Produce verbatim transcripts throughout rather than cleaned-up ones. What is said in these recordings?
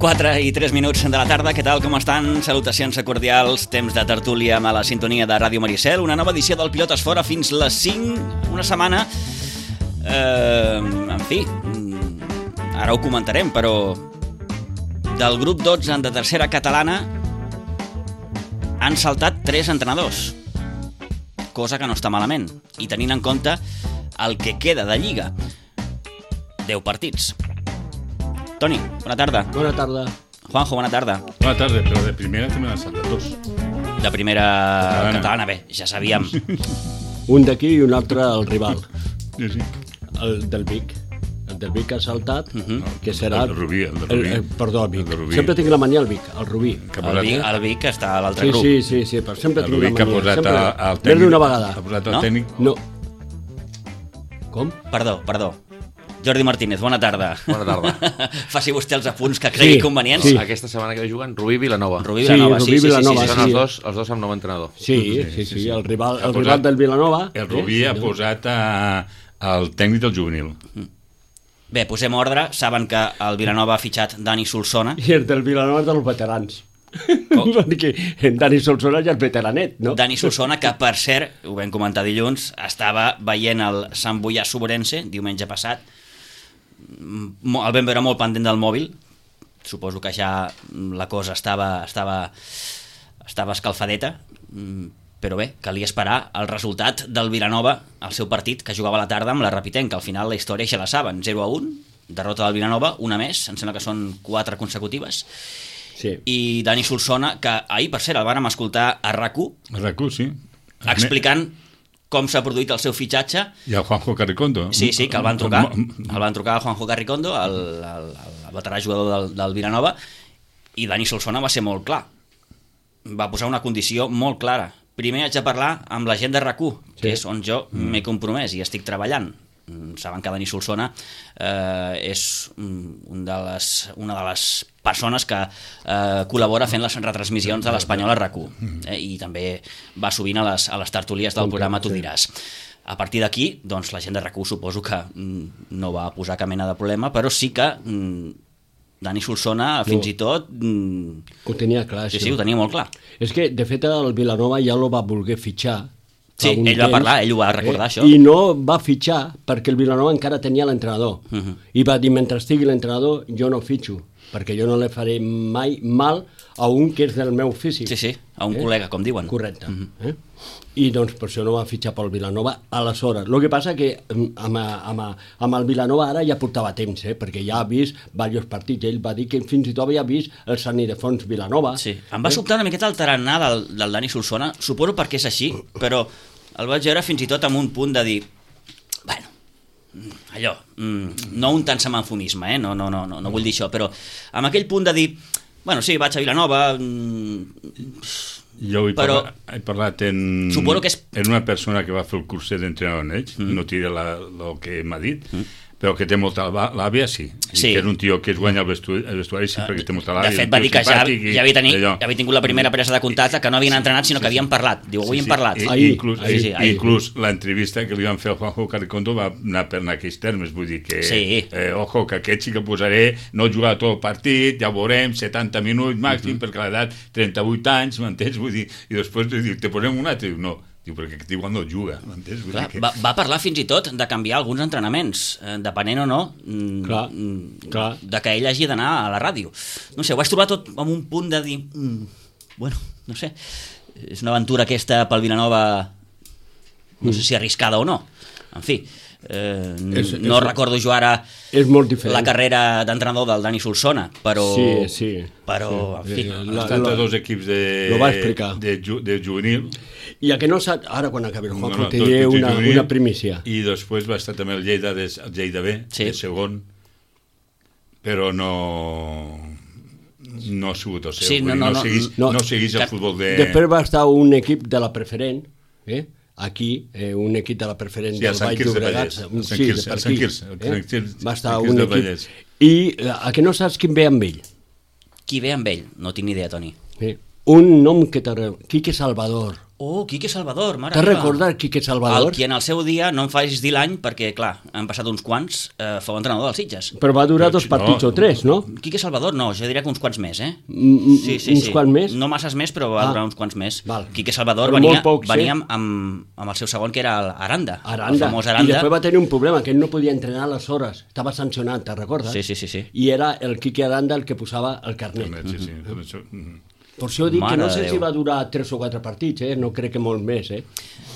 quatre i tres minuts de la tarda. Què tal, com estan? Salutacions cordials, temps de tertúlia amb la sintonia de Ràdio Maricel. Una nova edició del Pilotes Fora fins les cinc, una setmana. Eh, en fi, ara ho comentarem, però del grup dotze de tercera catalana han saltat tres entrenadors, cosa que no està malament, i tenint en compte el que queda de Lliga. deu partits. Toni, bona tarda. Bona tarda. Juanjo, bona tarda. Bona tarda, però de primera també n'han saltat dos. De primera catalana, catalana bé, ja sabíem. Un d'aquí i un altre el rival. Sí, sí. El del Vic. El del Vic ha saltat, Uh-huh. que serà... El de Rubí, el de Rubí. El, el, perdó, el Vic. El de Rubí. Sempre tinc la mania al Vic, el Rubí. Que ha El posat, Vic, el Vic està a l'altre Sí, grup. sí, sí, sí, però sempre el tinc Rubí la que ha mania. posat sempre... a- al Més tècnic. d'una vegada. Ha posat No? el tècnic. No. Com? Perdó, perdó. Jordi Martínez, bona tarda. Bona tarda. Faci vostè els apunts que cregui Sí, convenients. sí. Aquesta setmana que ve juguen Rubí Vilanova. Rubí Sí, Vilanova, Rubí sí, sí, Vilanova, sí, sí, Són sí. els dos, els dos amb nou entrenador. Sí, sí, sí, sí, sí. el rival, Ha el posat- rival del Vilanova. El Rubí eh? ha posat a, al tècnic del juvenil. Bé, posem ordre. Saben que el Vilanova ha fitxat Dani Solsona. I el del Vilanova és dels veterans. Com? Perquè en Dani Solsona ja és veteranet, no? Dani Solsona, que per cert, ho vam comentar dilluns, estava veient el Sant Boià Sobrense diumenge passat. Mo- El vam veure molt pendent del mòbil. Suposo que ja la cosa estava, estava, estava escalfadeta. Mm, Però bé, calia esperar el resultat del Vilanova al seu partit, que jugava a la tarda amb la Rapitenc, que al final la història ja la saben. zero a un, derrota del Vilanova, una més, em sembla que són quatre consecutives. Sí. I Dani Solsona, que ahir, per cert, el vàrem escoltar a RAC u, El Racú, sí. explicant com s'ha produït el seu fitxatge. I el Juanjo Carricondo. Sí, sí, que el van trucar. El van trucar a Juanjo Carricondo, el, el, el veterà jugador del, del Vilanova, i Dani Solsona va ser molt clar. Va posar una condició molt clara. Primer haig de parlar amb la gent de RAC u, que és on jo m'he compromès i estic treballant. Mm, Saben que Dani Solsona eh, és mm, un de les, una de les persones que eh, col·labora fent les retransmissions de l'Espanyol a RAC u, eh, i també va sovint a les, a les tertúlies del programa Tu diràs. A partir d'aquí, doncs, la gent de RAC u suposo que mm, no va posar cap mena de problema, però sí que mm, Dani Solsona fins No. i tot mm, Ho tenia clar, sí, això. sí, ho tenia molt clar. És que, de fet, el Vilanova ja lo va voler fitxar. Sí, fa un ell va temps, parlar, ell ho va recordar, això. I no va fitxar perquè el Vilanova encara tenia l'entrenador. Mhm. I va dir, mentre estigui l'entrenador, jo no fitxo, perquè jo no li faré mai mal a un que és del meu físic. Sí, sí, a un Eh? col·lega, com diuen. Correcte. Mhm. eh? I doncs per això no va fitxar pel Vilanova aleshores. El que passa que mm, amb, amb, amb el Vilanova ara ja portava temps, eh? Perquè ja ha vist diversos partits. Ell va dir que fins i tot havia vist el Sant Ildefons Vilanova. Sí, em va sobtar una miqueta el tarannà del, del Dani Solsona, suposo perquè és així, però el vaig veure fins i tot amb un punt de dir, bueno, mm, allò, mm, no un tant semanfonisme, eh? no, no, no, no, no vull dir això, però amb aquell punt de dir, bueno, sí, vaig a Vilanova, mm, Jo he, Però- parlat, he parlat en, Suposo que és- en una persona que va fer el curset d'entrenador en ells, mm. no diré la- el que m'ha dit, mm. però que té molta l'à- l'àvia, sí. I Sí. que és un tio que es guanya el vestuari, el vestuari sí, perquè té molta l'àvia. de fet un va tio dir que ja, simpàtic i ja, havia tenir, allò. ja havia tingut la primera presa de contacte, que no havien entrenat, sinó que havien parlat. Diu, avui hem parlat. I, Ahir, inclús, ahir, sí, ahir. inclús l'entrevista que li van fer al Juanjo Carricondo va anar per en aquells termes, vull dir que Sí. eh, ojo, que aquest sí que posaré, no jugarà tot el partit, ja ho veurem, setanta minuts màxim, uh -huh. perquè l'edat trenta-vuit anys, m'entens? Vull dir, i després diu, te posem un altre, diu, no, diu, perquè aquest igual no juga, m'entens? Vull Clar, dir que... va, va parlar fins i tot de canviar alguns entrenaments, eh, depenent o no mm, Clar, mm, clar. de que ell hagi d'anar a la ràdio. No sé, ho vaig trobar tot amb un punt de dir, mm, bueno, no sé, és una aventura aquesta pel Vilanova, no sé si arriscada o no. En fi, eh, És- no és- recordo jo ara És molt diferent. la carrera d'entrenador del Dani Solsona, però... Sí, sí. Però, Sí. en fi... Sí, Ha la- estat la- a dos equips de, Lo va explicar. de, ju, de juvenil. I a que no sap... Ara, quan acabi el joc, No, no, te dos diré equips de una, juvenil, una primícia. I després va estar també el Lleida, de, el Lleida B, Sí. de segon, però no... no ha sigut el seu. Sí, Vull no, dir, no, no, no, seguís, no. no seguís el Que- futbol de... Després va estar un equip de la preferent, eh? Aquí, eh, un equip de la preferent Sí, del el Sant Baix Quirze de Llobregat. Vallès, un- el Sant sí, Quirze, de per el Sant aquí, Quirze, el eh? Sant Quirze, Va estar Sant Quirze un de equip. Vallès. I eh, a que no saps quin ve amb ell? Qui ve amb ell? No tinc ni idea, Toni. Eh? Un nom que t'agrada, Quique Salvador. Oh, Quique Salvador, mare T'has meva. recordat Quique Salvador? El qui en el seu dia, no em facis dir l'any, perquè, clar, han passat uns quants, eh, fou entrenador dels Sitges. Però va durar dos No. partits o tres, no? Quique Salvador, no, jo diria que uns quants més, eh? Mm, Sí, sí, uns sí. quants més? No masses més, però va Ah. durar uns quants més. Val. Quique Salvador Però venia, molt pocs, venia eh? amb, amb, amb el seu segon, que era el Aranda, Aranda. el famós I Aranda. després va tenir un problema, que ell no podia entrenar a les hores. Estava sancionat, te'n recordes? Sí, sí, sí, sí. I era el Quique Aranda el que posava el carnet. Sí, sí, per això, mm. Per això dic Mare que no de sé Déu. si va durar tres o quatre partits, eh? No crec que molt més, eh?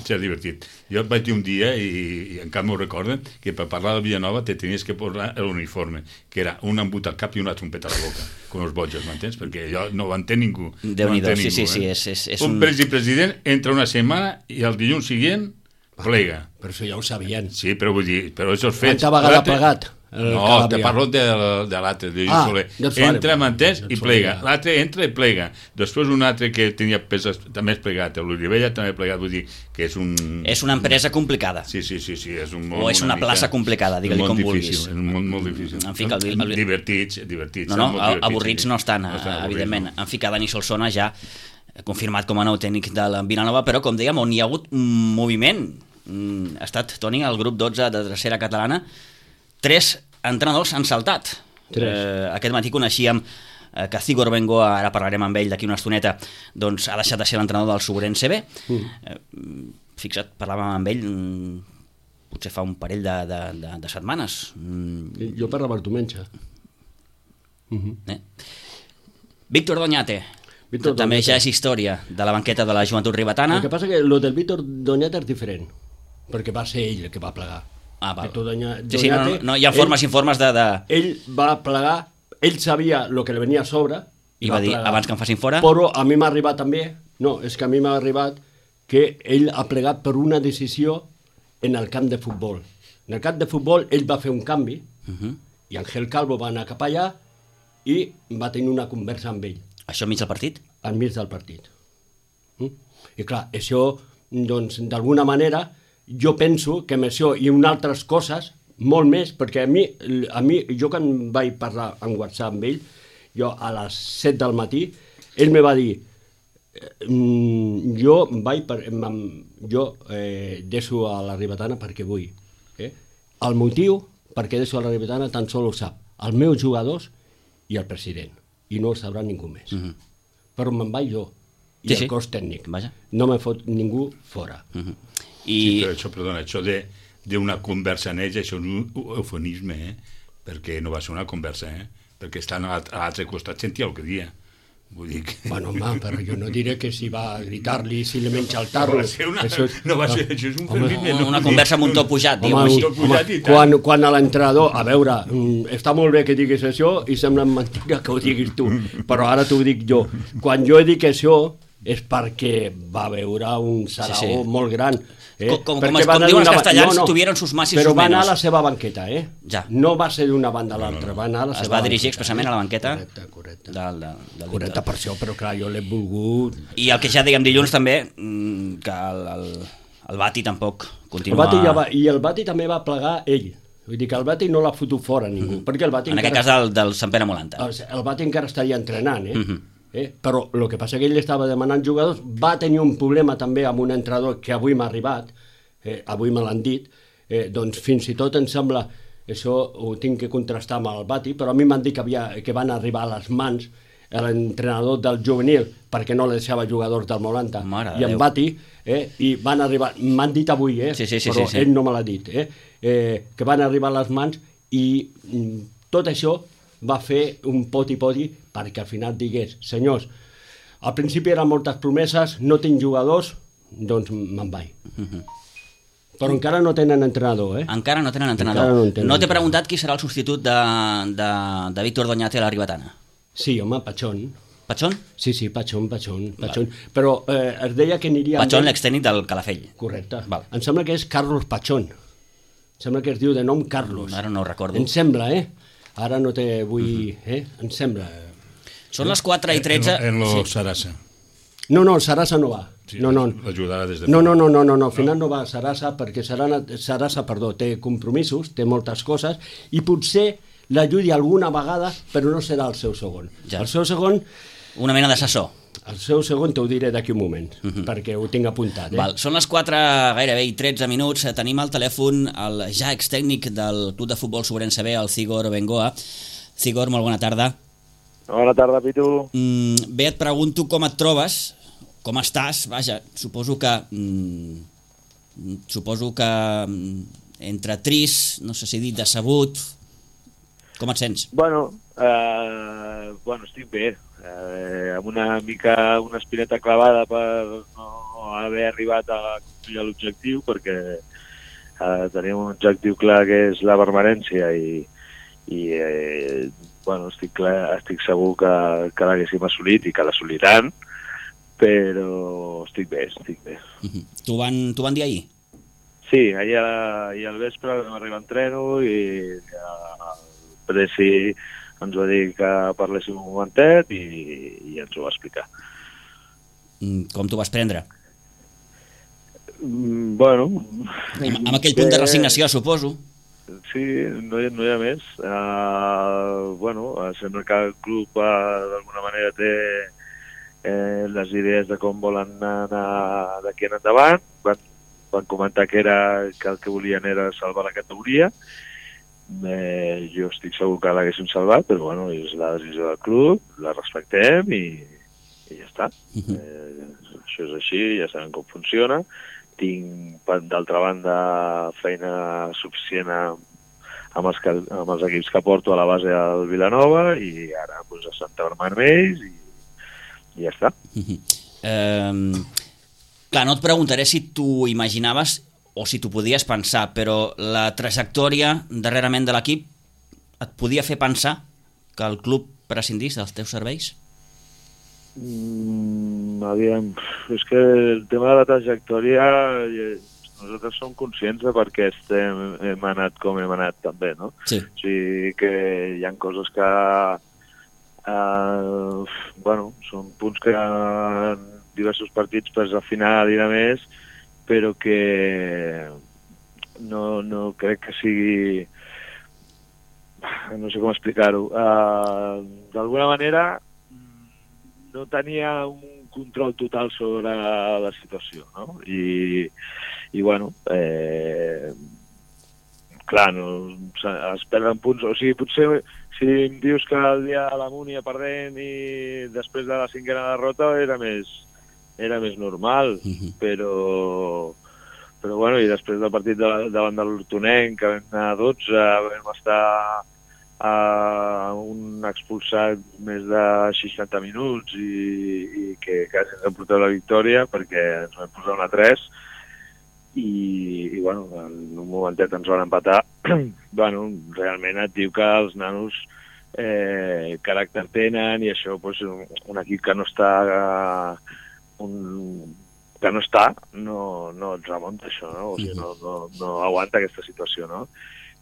Sí, és divertit. Jo vaig dir un dia, i, i encara m'ho recorden, que per parlar de Villanova te tenies que posar l'uniforme, que era un embut al cap i una trompeta a la boca, com els bojos, m'entens? Perquè jo no ho entén ningú. Déu-n'hi-do, no entén sí, ningú, sí, eh? sí, és- és- és un... un- president entra una setmana i el dilluns següent plega. Però això ja ho sabien. Sí, però vull dir, però això és fets. Quanta vegada ha L'altre- plegat? el No, Calàbria? te parlo de, de l'altre, de Lluís Ah, Soler. del Soler. Entra, m'entens, Del i Soler, plega. ja. L'altre entra i plega. Després un altre que tenia peses també és plegat. L'Olivella també ha plegat, vull dir que és un... És una empresa complicada. Sí, sí, sí, sí, és un món O és una mica- plaça complicada, digue-li molt com difícil, vulguis. És un món molt difícil. En fi, que el- el- Divertits, divertits. No, són no, molt a- divertits, avorrits sí. no estan, No estan eh, avorrits, evidentment. no. En fi, que Dani Solsona ja eh, confirmat com a nou tècnic de la Vilanova, però, com dèiem, on hi ha hagut un moviment. Mm, Ha estat, Toni, el grup dotze de tercera catalana. Tres entrenadors han saltat. Tres. Eh, aquest matí coneixíem eh, que Cigor Bengoa, ara parlarem amb ell d'aquí una estoneta, doncs ha deixat de ser l'entrenador del Sobrense B. Mm. Eh, fixa't, parlàvem amb ell mm, potser fa un parell de, de, de, de setmanes. Mm, Jo parlava el diumenge. eh? Víctor Doñate. Víctor També Doñate. ja és història de la banqueta de la joventut ribetana. El que passa que lo del Víctor Doñate és diferent, perquè va ser ell el que va plegar. Ah, val. Víctor Doña- Sí, sí, no, no, Doñate, no, hi ha formes ell, i informes de... de... Ell va plegar, ell sabia el que li venia a sobre, I va dir, plegar. abans que em facin fora... Però a mi m'ha arribat també, no, és que a mi m'ha arribat que ell ha plegat per una decisió en el camp de futbol. En el camp de futbol ell va fer un canvi, Uh -huh. i Ángel Calvo va anar cap allà i va tenir una conversa amb ell, Això enmig del partit? al mig del partit. Mm? I clar, això, doncs, d'alguna manera, jo penso que amb això i unes altres coses, molt més, perquè a mi, a mi jo quan vaig parlar en WhatsApp amb ell, jo a les set del matí, ell me va dir, mm, jo vaig per, em- jo eh, deixo a la Ribetana perquè vull. Eh? El motiu perquè deixo a la Ribetana tan sol ho sap els meus jugadors i el president, i no ho sabrà ningú més. Uh -huh. Però me'n vaig jo, i Sí, el sí. cos tècnic. Vaja. No me fot ningú fora. Uh -huh. Sí, I... però això, perdona, això de d'una conversa en ells, això és un eufemisme, eh? Perquè no va ser una conversa, eh? Perquè estan a l'alt- a l'altre costat, sentia el que dia. Vull dir que... Bueno, home, però jo no diré que si va a gritar-li, si li menja el No tarro. va ser una, Això és- no va ser, això és un Home, eufemisme. Una, no, una conversa amb un to pujat, diguem-ho Home, així. tot pujat home, i tant. quan, quan a l'entrenador, a veure, mm, està molt bé que diguis això i sembla mentida que ho diguis tu, però ara t'ho dic jo. Quan jo dic això és perquè va veure un sarau Sí, sí. molt gran. Eh? Com- com- Perquè com es- va com anar diuen els d'una ba- castellans, tuvieron sus más y però sus va anar menos. a la seva banqueta, eh? Ja. No va ser d'una banda a l'altra, va anar a la Es seva va dirigir banqueta, expressament eh? a la banqueta Correcte, correcte. del, del, del Correcte, Víctor. per això, però clar, jo l'he volgut... I el que ja dèiem dilluns també, mm, que el, el, el Bati tampoc El continua... Bati ja va, I el Bati també va plegar ell. Vull dir que el Bati no l'ha fotut fora ningú, mm -hmm. perquè el Bati En aquest cas del, del Sant Pere Molanta. El, el Bati encara estaria entrenant, eh? Mm -hmm. eh? Però el que passa que ell estava demanant jugadors, va tenir un problema també amb un entrenador que avui m'ha arribat, eh, avui me l'han dit, eh, doncs fins i tot em sembla, això ho tinc que contrastar amb el Bati, però a mi m'han dit que, havia, que van arribar a les mans l'entrenador del juvenil perquè no li deixava jugadors del Molanta Mare de i en Déu. Bati, eh, i van arribar, m'han dit avui, eh, Sí, sí, sí, però sí, sí. ell no me l'ha dit, eh, eh, que van arribar a les mans i mm, tot això va fer un poti-poti perquè al final digués, senyors, al principi eren moltes promeses, no tinc jugadors, doncs me'n vaig. Uh -huh. Però encara no tenen entrenador, eh? Encara no tenen entrenador. Encara no No, en tenen no t'he entrenador. preguntat qui serà el substitut de, de, de Víctor Doñate a la Ribetana. Sí, home, Pachón. Patxón? Sí, sí, Pachón, Pachón, Pachón. Però eh, es deia que aniria... amb Patxón, ell- l'extècnic del Calafell. Correcte. Val. Em sembla que és Carlos Pachón. Em sembla que es diu de nom Carlos. Ara no ho recordo. Em sembla, eh? Ara no te vull... Eh? Em sembla... Són les quatre i tretze. En, en lo Sí. Sarasa. No, no, el Sarasa no va. Sí, no, no. l'ajudarà des de No, fora. no, no, no, no, no, al final no va a Sarasa perquè Sarana, Sarasa, perdó, té compromisos, té moltes coses i potser l'ajudi alguna vegada, però no serà el seu segon. Ja. El seu segon, Una mena d'assessor. El seu segon t'ho diré d'aquí un moment, uh -huh. perquè ho tinc apuntat. Eh? Val. Són les quatre, gairebé i tretze minuts. Tenim al telèfon el ja extècnic del Club de Futbol Sobrense B, el Cigor Bengoa. Cigor, molt bona tarda. Bona tarda, Pitu. Mm, bé, et pregunto com et trobes, com estàs. Vaja, suposo que... Mm, suposo que mm, entre trist, no sé si dir decebut. Com et sents? Bueno, eh, bueno estic bé. Eh, amb una mica una espineta clavada per no haver arribat a complir l'objectiu, perquè eh, tenim un objectiu clar que és la permanència i, i eh, bueno, estic, clar, estic segur que, que l'haguéssim assolit i que l'assoliran, però estic bé, estic bé. Uh-huh. T'ho van, t'ho van dir ahir? Sí, ahir, a, ahir al vespre vam arribar a entreno i el Presi ens va dir que parléssim un momentet i, i ens ho va explicar. Com t'ho vas prendre? Mm, bueno... Amb, amb aquell punt de resignació, suposo. Sí, no hi, no hi ha més. Uh, bueno, sembla que el club uh, d'alguna manera té eh, les idees de com volen anar d'aquí en endavant. Van, van comentar que, era, que el que volien era salvar la categoria. Eh, jo estic segur que l'haguéssim salvat, però bueno, és la decisió del club, la respectem i, i ja està. Uh-huh. eh, això és així, ja sabem com funciona. Tinc, d'altra banda, feina suficient amb, amb, els que, amb els equips que porto a la base del Vilanova i ara pues, a Santa Bàrbara amb ells i, i ja està. Uh-huh. eh, clar, no et preguntaré si tu imaginaves o si t'ho podies pensar, però la trajectòria darrerament de l'equip et podia fer pensar que el club prescindís dels teus serveis? Mm, aviam, és que el tema de la trajectòria nosaltres som conscients de per què estem, hem anat com hem anat també, no? Sí. O sigui que hi ha coses que eh, bueno, són punts que en diversos partits pues, al final i de més, però que no, no crec que sigui... No sé com explicar-ho. Uh, D'alguna manera no tenia un control total sobre la situació, no? I, i bueno, eh, clar, no, es perden punts. O sigui, potser si em dius que el dia de la Múnia perdent i després de la cinquena derrota era més... era més normal, uh-huh. però, però bueno, i després del partit de, davant de l'Hortonenc, que vam anar a dotze, vam estar a un expulsat més de seixanta minuts i, i que quasi ens han portat la victòria perquè ens vam posar una tres i, i bueno, en un momentet ens van empatar. Bueno, realment et diu que els nanos eh, caràcter tenen i això, pues, un, un equip que no està... Eh, Un, que no està, no, no et remunta això, no? O sigui, no, no, no aguanta aquesta situació, no?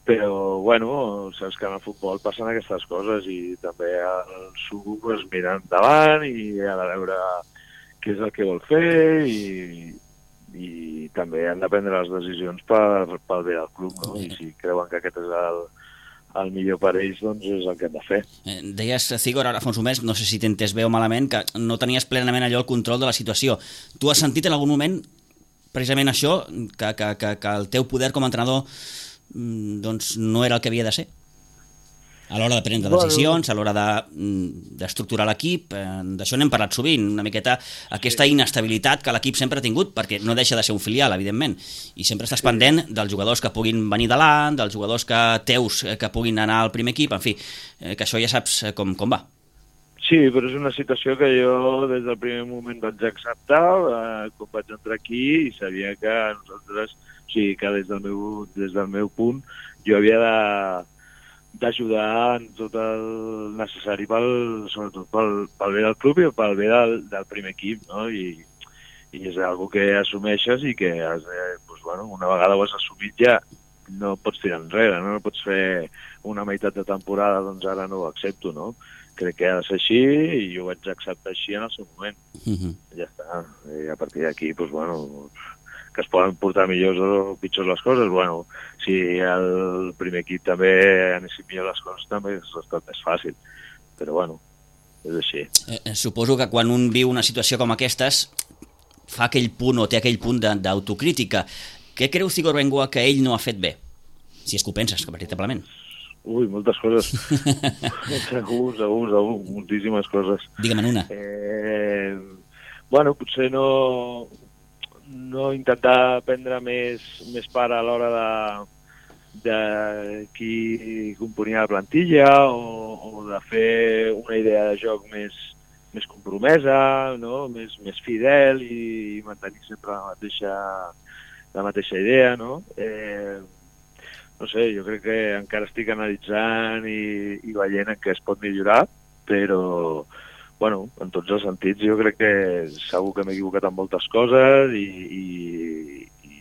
Però, bueno, saps que en el futbol passen aquestes coses i també el Sugu pues, mira endavant i ha de veure què és el que vol fer i, i també han de prendre les decisions per, pel bé del club, no? I si creuen que aquest és el, el millor per ells, doncs és el que hem de fer. Eh, deies, Cigor, ara fa uns moments, no sé si t'he entès bé o malament, que no tenies plenament allò el control de la situació. Tu has sentit en algun moment precisament això, que, que, que, que el teu poder com a entrenador doncs, no era el que havia de ser? A l'hora de prendre decisions, a l'hora d'estructurar de, l'equip, eh, d'això n'hem parlat sovint, una miqueta aquesta inestabilitat que l'equip sempre ha tingut, perquè no deixa de ser un filial, evidentment, i sempre estàs pendent dels jugadors que puguin venir davant, dels jugadors que teus que puguin anar al primer equip, en fi, eh, que això ja saps com, com va. Sí, però és una situació que jo des del primer moment vaig acceptar, eh, quan vaig entrar aquí i sabia que nosaltres, o sigui, que des del meu, des del meu punt jo havia de d'ajudar en tot el necessari pel, sobretot pel, pel bé del club i pel bé del, del primer equip, no? I, i és algo que assumeixes i que has de, doncs, bueno, una vegada ho has assumit ja no pots tirar enrere, no? No pots fer una meitat de temporada, doncs ara no ho accepto, no? Crec que ha de ser així i jo ho vaig acceptar així en el seu moment. Uh-huh. Ja està. I a partir d'aquí, doncs, bueno, que es poden portar millors o pitjors les coses, bueno, si el primer equip també anessin millor les coses també és estat més fàcil, però bueno, és així. Eh, suposo que quan un viu una situació com aquestes fa aquell punt o té aquell punt de- d'autocrítica. Què creu Cigor Bengoa que ell no ha fet bé? Si és que ho penses, que veritablement. Ui, moltes coses. segur, segur, segur, moltíssimes coses. Digue'm una. Eh, bueno, potser no, no intentar prendre més, més part a l'hora de, de qui componia la plantilla o, o de fer una idea de joc més, més compromesa, no? més, més fidel i mantenir sempre la mateixa, la mateixa idea. No? Eh, no sé, jo crec que encara estic analitzant i, i veient en què es pot millorar, però bueno, en tots els sentits jo crec que segur que m'he equivocat en moltes coses i, i, i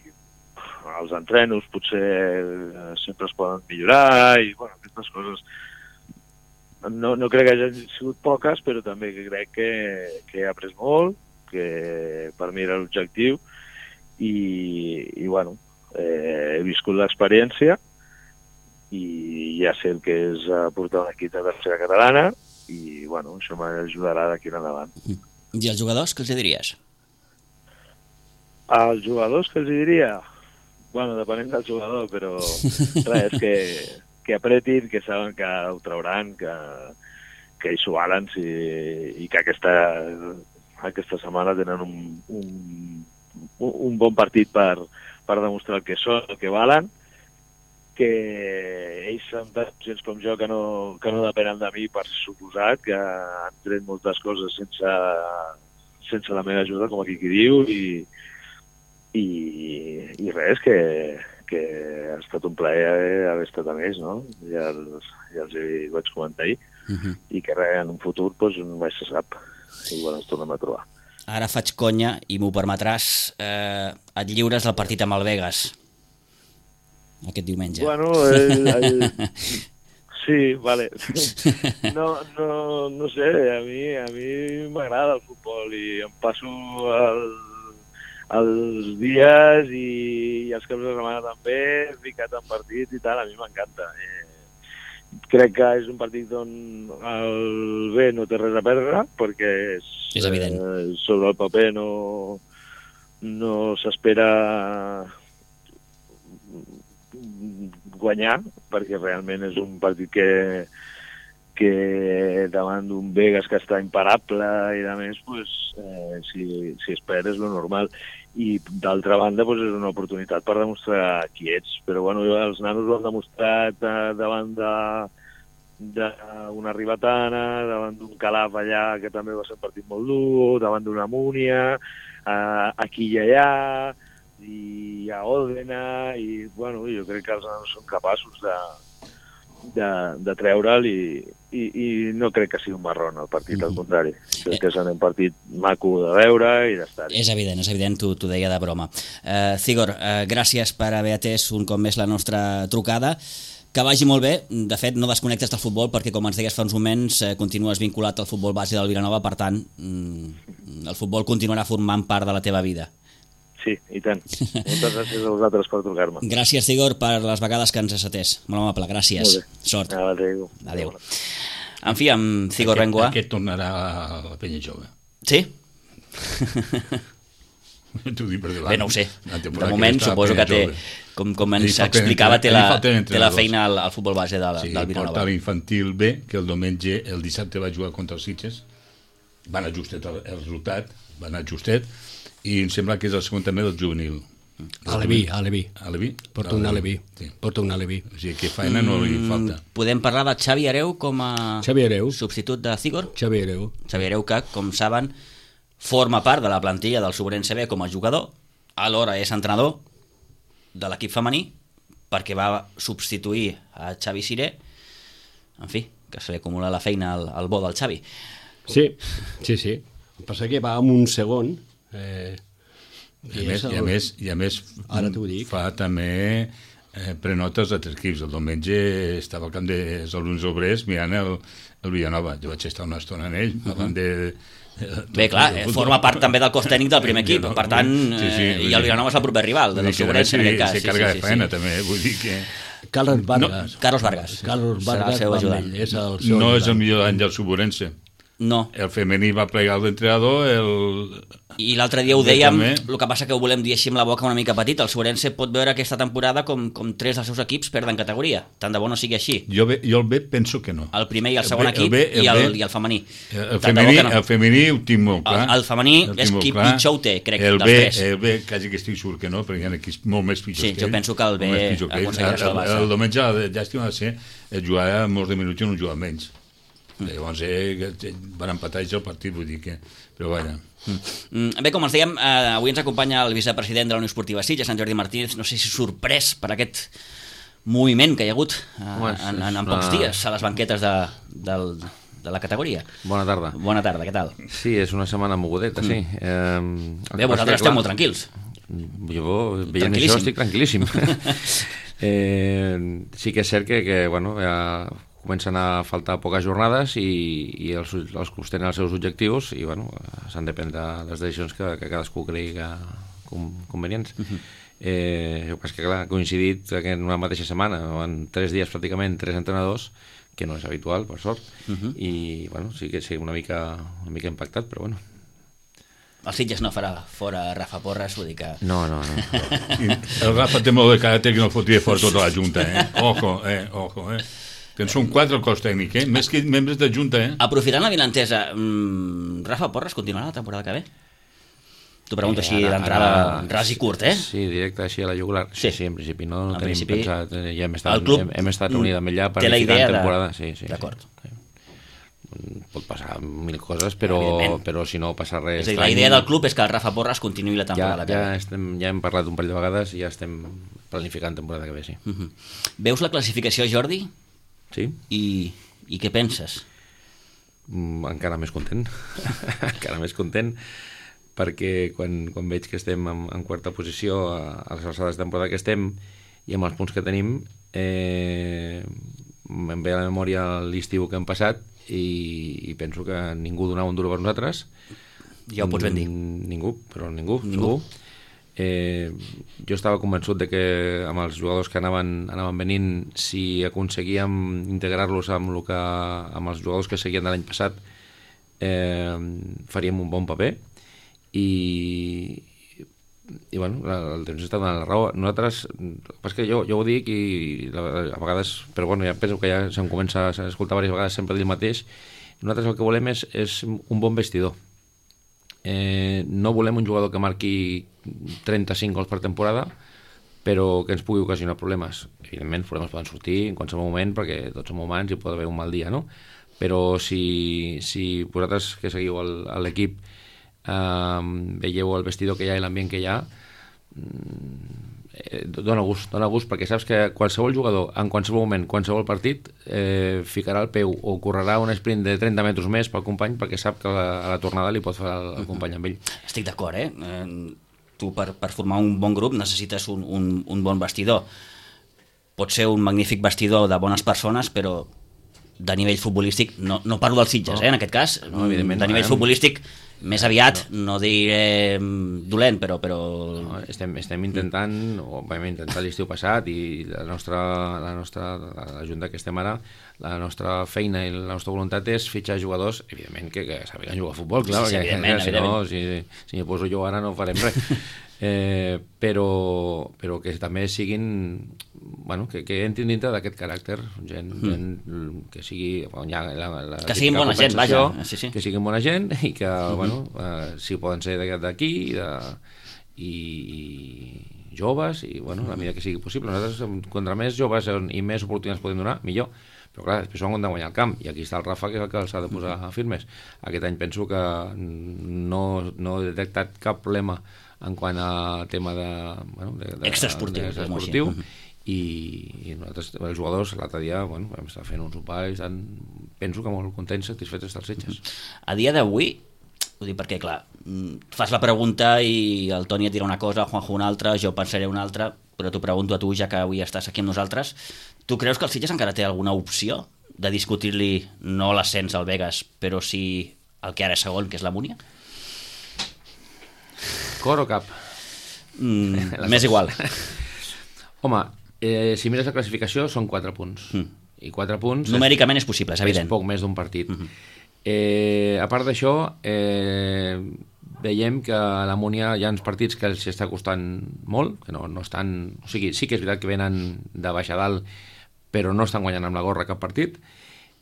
els entrenos potser sempre es poden millorar i bueno, aquestes coses no, no crec que hagin sigut poques, però també crec que, que he après molt, que per mi era l'objectiu i, i bueno, eh, he viscut l'experiència i ja sé el que és portar un equip de tercera catalana i bueno, això m'ajudarà d'aquí en endavant. I els jugadors, què els diries? Els jugadors, què els diria? Bueno, depenent del jugador, però res, que, que apretin, que saben que ho trauran, que, que hi s'ho valen si, i que aquesta, aquesta setmana tenen un, un, un bon partit per, per demostrar el que són, el que valen, que ells són tan conscients com jo que no, que no depenen de mi, per suposat, que han tret moltes coses sense, sense la meva ajuda, com aquí qui diu, i, i, i res, que, que ha estat un plaer haver estat amb ells, no? Ja els, ja els hi vaig comentar ahir, uh -huh. i que res, en un futur doncs, mai se sap, igual ens tornem a trobar. Ara faig conya, i m'ho permetràs, eh, et lliures del partit amb el Vegas aquest diumenge. Bueno, el, el... sí, vale. No, no, no sé, a mi a mi m'agrada el futbol i em passo el, els dies i, i els caps de setmana també, ficat en partits i tal, a mi m'encanta. Eh, crec que és un partit on el B no té res a perdre, perquè és, és evident. Eh, sobre el paper no, no s'espera guanyar, perquè realment és un partit que, que davant d'un Vegas que està imparable i a més, pues, eh, si, si es perd és lo normal. I d'altra banda pues, és una oportunitat per demostrar qui ets. Però bueno, els nanos ho han demostrat eh, davant de d'una Ribatana, davant d'un Calaf allà, que també va ser un partit molt dur, davant d'una Múnia, eh, aquí i allà, i a Òdena, i bueno, jo crec que els nanos són capaços de, de, de treure'l i, i, i no crec que sigui un marrón el partit, al contrari. Crec que és un partit maco de veure i d'estar-hi. És evident, és evident, t'ho deia de broma. Uh, Cigor, uh, gràcies per haver atès un cop més la nostra trucada. Que vagi molt bé. De fet, no desconnectes del futbol perquè, com ens deies fa uns moments, eh, continues vinculat al futbol base del Vilanova, per tant, mm, el futbol continuarà formant part de la teva vida. Sí, i tant. Moltes gràcies a vosaltres per trucar-me. Gràcies, Cigor, per les vegades que ens has atès. Molt amable, gràcies. Sort. Adéu. Adéu. En fi, amb Cigor Bengoa... Aquest tornarà a la penya jove. Sí? T'ho dic per davant. Bé, no ho sé. De moment suposo que té, com, com ens explicava, té la, té la feina al, al futbol base del, sí, del Vilanova. Porta l'infantil B, que el diumenge, el dissabte va jugar contra els Sitges. Va anar justet el, el resultat, va anar justet, i em sembla que és el segon també del juvenil. Aleví, Aleví. Aleví? Porta un Aleví. Sí. Porta un Aleví. O sigui que feina no li falta. Podem parlar de Xavi Hereu com a Xavi Hereu. substitut de Cigor? Xavi Hereu. Xavi Hereu que, com saben, forma part de la plantilla del Sobrense B com a jugador, alhora és entrenador de l'equip femení, perquè va substituir a Xavi Siré. En fi, que se li acumula la feina al, al bo del Xavi. Sí, sí, sí. El que passa que va amb un segon... Eh, I a, més, el... i, a més, i a més Ara t'ho dic. Fa també eh, prenotes a tres equips. El diumenge estava al camp dels alumnes obrers mirant el, el Villanova. Jo vaig estar una estona en ell, uh -huh. parlant de... Bé, clar, eh, forma part també del cos tècnic del primer equip, per tant, sí, sí, eh, i el Vilanova és el proper rival del Sobrense en aquest cas. Se carga de feina també, vull dir que... Carlos Vargas. No, Carlos Vargas. Carlos Vargas serà el seu ajudant. És el seu no ajudant. és el millor any del Sobrense. No. El femení va plegar l'entrenador, el... I l'altre dia ho Bé, dèiem, també. el que passa que ho volem dir així amb la boca una mica petita. El Suerense pot veure aquesta temporada com, com tres dels seus equips perden categoria. Tant de bo no sigui així. Jo, bé, jo el B penso que no. El primer i el El segon B- el equip B- el i, el, B- i el femení. El, el, Tant de bo femení, que no. el femení ho tinc molt clar. El, el femení El és tinc molt qui clar. pitjor ho té, crec, el dels B, tres. El B, quasi que estic segur que no, perquè hi ha equips molt més pitjors Sí, que jo ell. penso que el B Molt més pitjor que ell. aconseguirà El, salvar-se. el, el diumenge la llàstima va ser jugar molts de minuts i no jugar menys. Mm. Llavors eh, van empatar ells el partit, vull dir que... Però vaja... Mm. Bé, com els dèiem, eh, avui ens acompanya el vicepresident de la Unió Esportiva Sitges, Sant Jordi Martínez. No sé si sorprès per aquest moviment que hi ha hagut eh, Home, en, en, en és pocs una- dies a les banquetes de, del, de la categoria. Bona tarda. Bona tarda, què tal? Sí, és una setmana mogudeta, sí. Eh, Bé, vosaltres esteu molt tranquils. Jo, veient Tranquil·líssim. això, estic tranquil·líssim. eh, sí que és cert que, que bueno, ja comencen a faltar poques jornades i, i els, els clubs tenen els seus objectius i bueno, s'han de prendre les decisions que, que cadascú cregui que com, convenients. Uh -huh. eh, jo penso que clar, ha coincidit que en una mateixa setmana, en tres dies pràcticament, tres entrenadors, que no és habitual, per sort, uh -huh. i bueno, sí que sí, una mica, una mica impactat, però bueno. El Sitges no farà fora Rafa Porras, vull dir que... No, no, no. I el Rafa té molt de caràcter que no fotria fora tota la Junta, eh? Ojo, eh? Ojo, eh? Que en són quatre el cos tècnic, eh? Més que membres de Junta, eh? Aprofitant la vinentesa, mmm, Rafa Porras continuarà la temporada que ve? T'ho pregunto així ara- d'entrada, ara- ras i curt, eh? Sí, directe així a la jugular. Sí. Sí, sí, en principi no, no En tenim principi, pensat, eh, ja hem el estat, club hem, hem estat units amb ella té la planificant idea de- temporada. Sí, sí, D'acord. Sí. Pot passar mil coses, però, Evidentment. però si no passa res... És a dir, la estrany, idea del club és que el Rafa Porras continuï la ja, temporada que ja, ve. estem, ja hem parlat un parell de vegades i ja estem planificant temporada que ve, sí. Uh -huh. Veus la classificació, Jordi? Sí? I, i què penses? Mm, encara més content. encara més content perquè quan, quan veig que estem en, en quarta posició a, a les alçades de temporada que estem i amb els punts que tenim eh, em ve a la memòria l'estiu que hem passat i, i penso que ningú donava un duro per nosaltres. Ja ho pots ben dir. Mm, ningú, però ningú, Ningú. ningú. Eh, jo estava convençut de que amb els jugadors que anaven, anaven venint, si aconseguíem integrar-los amb, lo que, amb els jugadors que seguien de l'any passat, eh, faríem un bon paper i, i bueno, el temps està donant la raó. Nosaltres, és que jo, jo ho dic i a vegades, però bueno, ja penso que ja se'm comença a escoltar diverses vegades sempre dir el mateix. Nosaltres el que volem és, és un bon vestidor. Eh, no volem un jugador que marqui trenta-cinc gols per temporada, però que ens pugui ocasionar problemes. Evidentment, els problemes poden sortir en qualsevol moment, perquè tots som humans i pot haver un mal dia, no? Però si, si vosaltres que seguiu el- a l'equip eh, veieu el vestidor que hi ha i l'ambient que hi ha, eh, dona gust, dona gust, perquè saps que qualsevol jugador, en qualsevol moment, qualsevol partit, eh, ficarà el peu o correrà un sprint de trenta metres més pel company perquè sap que a la, a la tornada li pot fer el, el company amb ell. Estic d'acord, eh? eh? Tu per, per formar un bon grup necessites un, un, un bon vestidor. Pot ser un magnífic vestidor de bones persones, però de nivell futbolístic, no, no parlo dels Sitges, No. eh, en aquest cas, No, evidentment, de nivell no, eh? futbolístic, més aviat, no, no diré mm, dolent, però... però... No, estem, estem intentant, o vam intentar l'estiu passat i la nostra, la nostra la junta que estem ara, la nostra feina i la nostra voluntat és fitxar jugadors, evidentment que, que sàpiguen jugar a futbol, clar, Sí, sí, perquè evidentment, si no, evidentment. si, si m'hi poso jo ara no farem res. eh, però, però que també siguin, bueno, que, que entrin dintre d'aquest caràcter, gent, mm. gent que sigui... Bueno, ja, la, la, Que siguin la bona gent, compensació, vaja, sí, sí. que siguin bona gent i que, mm -hmm. bueno, eh, si poden ser d'aquí de, i, i joves i, bueno, la mida que sigui possible. Nosaltres, contra més joves i més oportunitats podem donar, millor. Però clar, després ho han de guanyar el camp i aquí està el Rafa, que és el que els ha de posar firmes. Aquest any penso que no, no he detectat cap problema en quant a tema de... Bueno, de, de Extraesportiu, de, diguem-ho així. extraesportiu. I, i nosaltres, els jugadors, l'altre dia, bueno, vam estar fent un sopar i estan, penso que molt contents, satisfets dels Sitges. A dia d'avui, ho dic perquè, clar, mm, fas la pregunta i el Toni et dirà una cosa, Juanjo una altra, jo pensaré una altra, però t'ho pregunto a tu, ja que avui estàs aquí amb nosaltres. Tu creus que el Sitges encara té alguna opció de discutir-li no l'ascens al Vegas, però sí el que ara és segon, que és la Múnia? Cor o cap? Mm, M'és igual. Home, eh, si mires la classificació són quatre punts. Mm. I quatre punts... Numèricament és possible, és és evident. poc més d'un partit. Mhm. Eh, a part d'això, eh, veiem que a la Múnia hi ha uns partits que els està costant molt, que no, no estan... O sigui, sí que és veritat que venen de baix a dalt, però no estan guanyant amb la gorra cap partit,